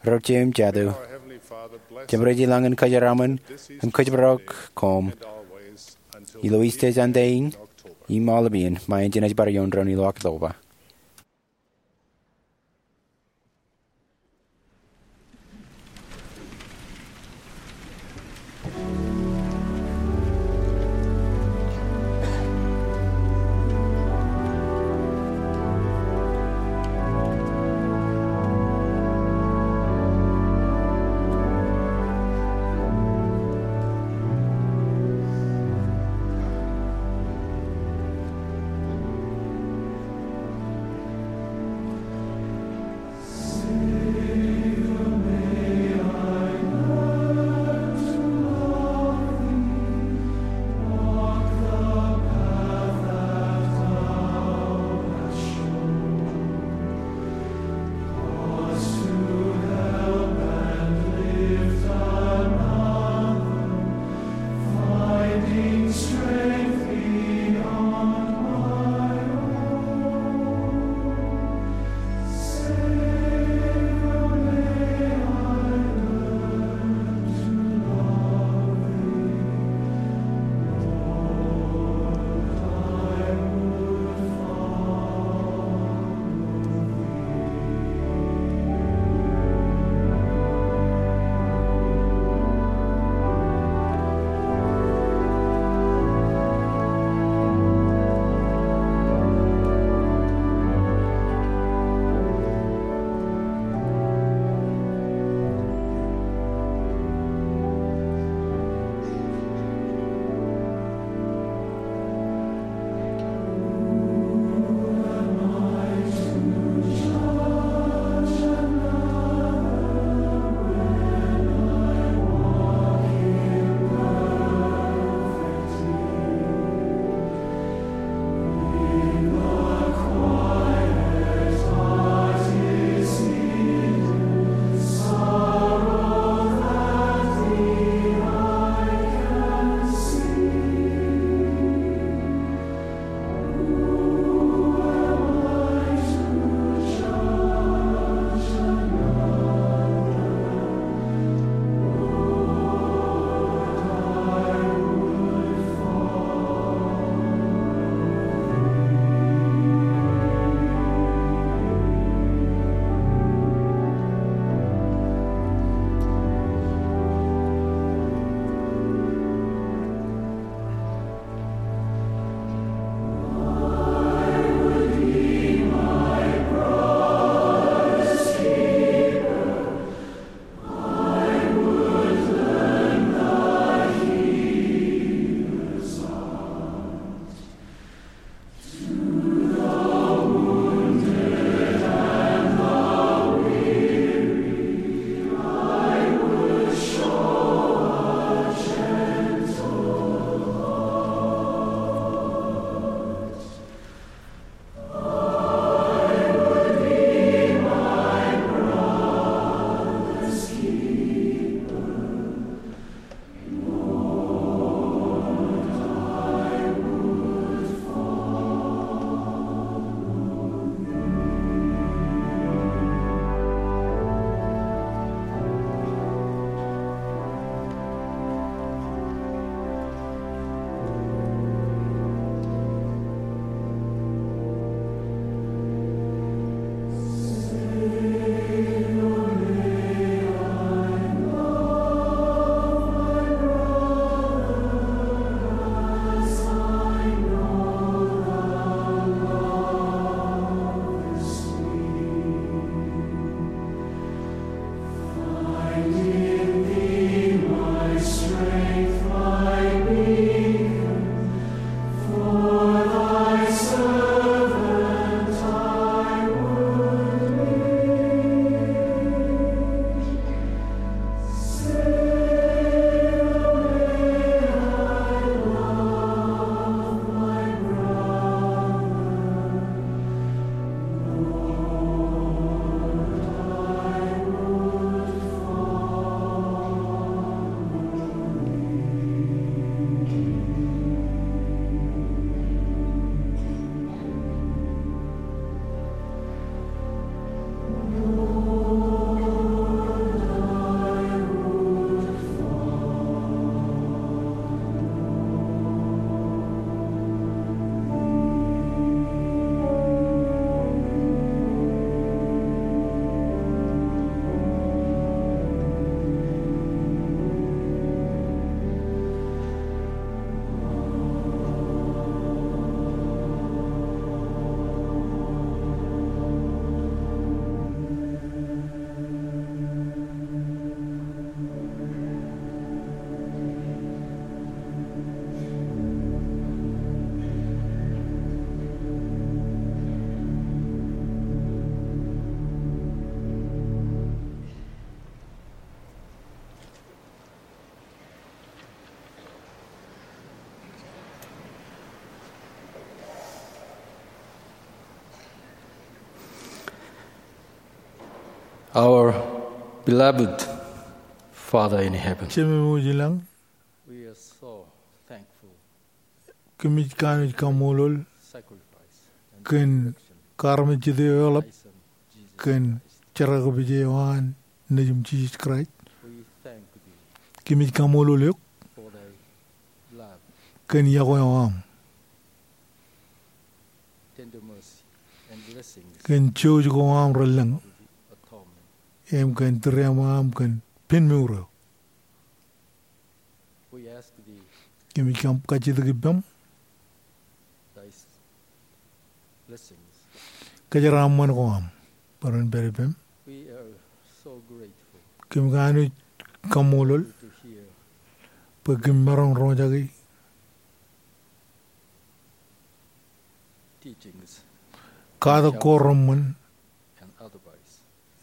Ro jeiū im jatū, Jemem rej ilañ in kōjeraṃṃan im kōjparok koṃ ilo Easter Sunday in im aolep iien, ṃae jenaaj bar iuṃ doon ilo October. Our beloved Father in heaven, Jemem eo ilañ, we are so thankful kōmij kanooj kaṃṃoolol sacrifice and kōn resurrection kaarmejjet eo eḷap, Christ Jesus kōn Christ. Jerkakpeje eo an Nejiṃ Jisōs Kraist. We thank thee. Kōmij kaṃṃoolol eok for thy love, kōn iọkwe eo aṃ, tender mercy, and blessings, kōn jouj ko aṃ relōñ, of the atonement, im kōn tūriaṃo aṃ kōn pen mour eo. We ask thee, kōmij kajjitōk ippaṃ, thy blessings, kōjeraaṃṃan ko aṃ bwe ren pād ippaṃ. We are so grateful. Kōm kanooj kaṃṃoolol to hear bwe kōm maroñ roñjake teachings, katak ko reṃṃan, and advice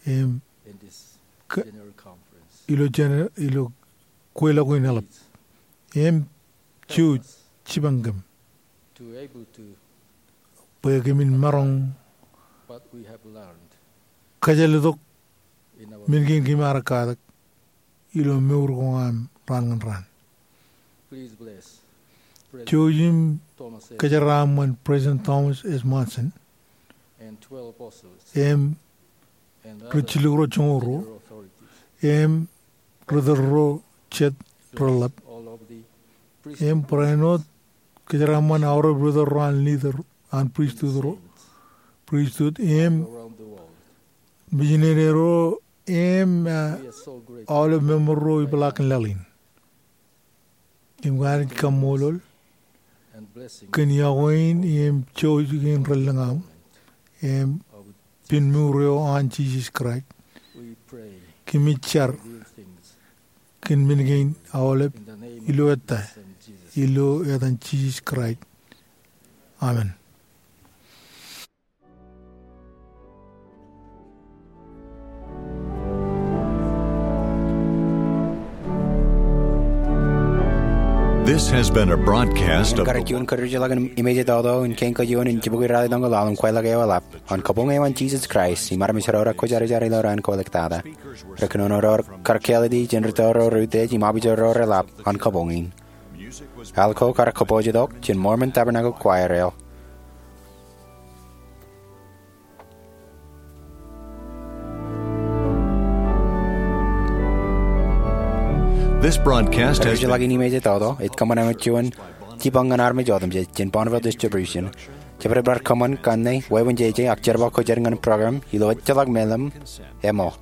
im in this general conference. Ilo jener-, ilo kweilọk in eḷap. Im jouj jipañ kōm to able to bwe kōmin maroñ what we have learned kōjjeḷtok in our men kein kōm ar katak ilo mour ko aṃ raan ñan raan. Please bless President Jouj im Thomas S. kōjeraaṃṃan President Thomas S. Monson and twelve apostles im and ri other jilkinḷọk ro joñoul ruo, senior authorities, im ri tōl ro jet reḷḷap, all of the im priesthood, barāinwōt kōjeraaṃṃan aorōk ri tōl ro an leader an priesthood ro, priesthood im around the world. Mijineri ro im, uh, we are so grateful aolep member ro ipeḷaakin laḷ in. Im kōmij kaṃṃoolol and blessing kōn iọkwe in im jouj kein relōñ aṃ im of pen mour eo an Jisōs Kraist. We pray, kōmij jar, these things, kōn men kein aolep, in the name of ilo ettā, Jesus, ilo etan Jisōs Kraist. Amen. This has been a broadcast of the Kar juon kōjjeḷọkin im imeje toto in kein kōj ioon in jibukwi ralitōñoul ḷalem kweilọk eo eḷap, An Kabuñ eo an Jisōs Kraist im armej ro rekwōjarjar ilo raan ko ḷọk tata. Rekōnono ro kar kāālōt, jen rūtto ro reutiej im apijo ro reḷap an kabuñ in. Al ko kar kōpoojetok jān Mormon Tabernacle Choir eo. This broadcast has been Kōjjeḷọkin imeje toto ej kōṃṃan eṃōj juon jipañ ñan armej otemjej jān Bonneville Distribution. Jabdewōt bar kōṃṃan kanne, wāween jeje ak jerbal ko jar ñan program ilo ejjeḷọk meḷeḷe eo.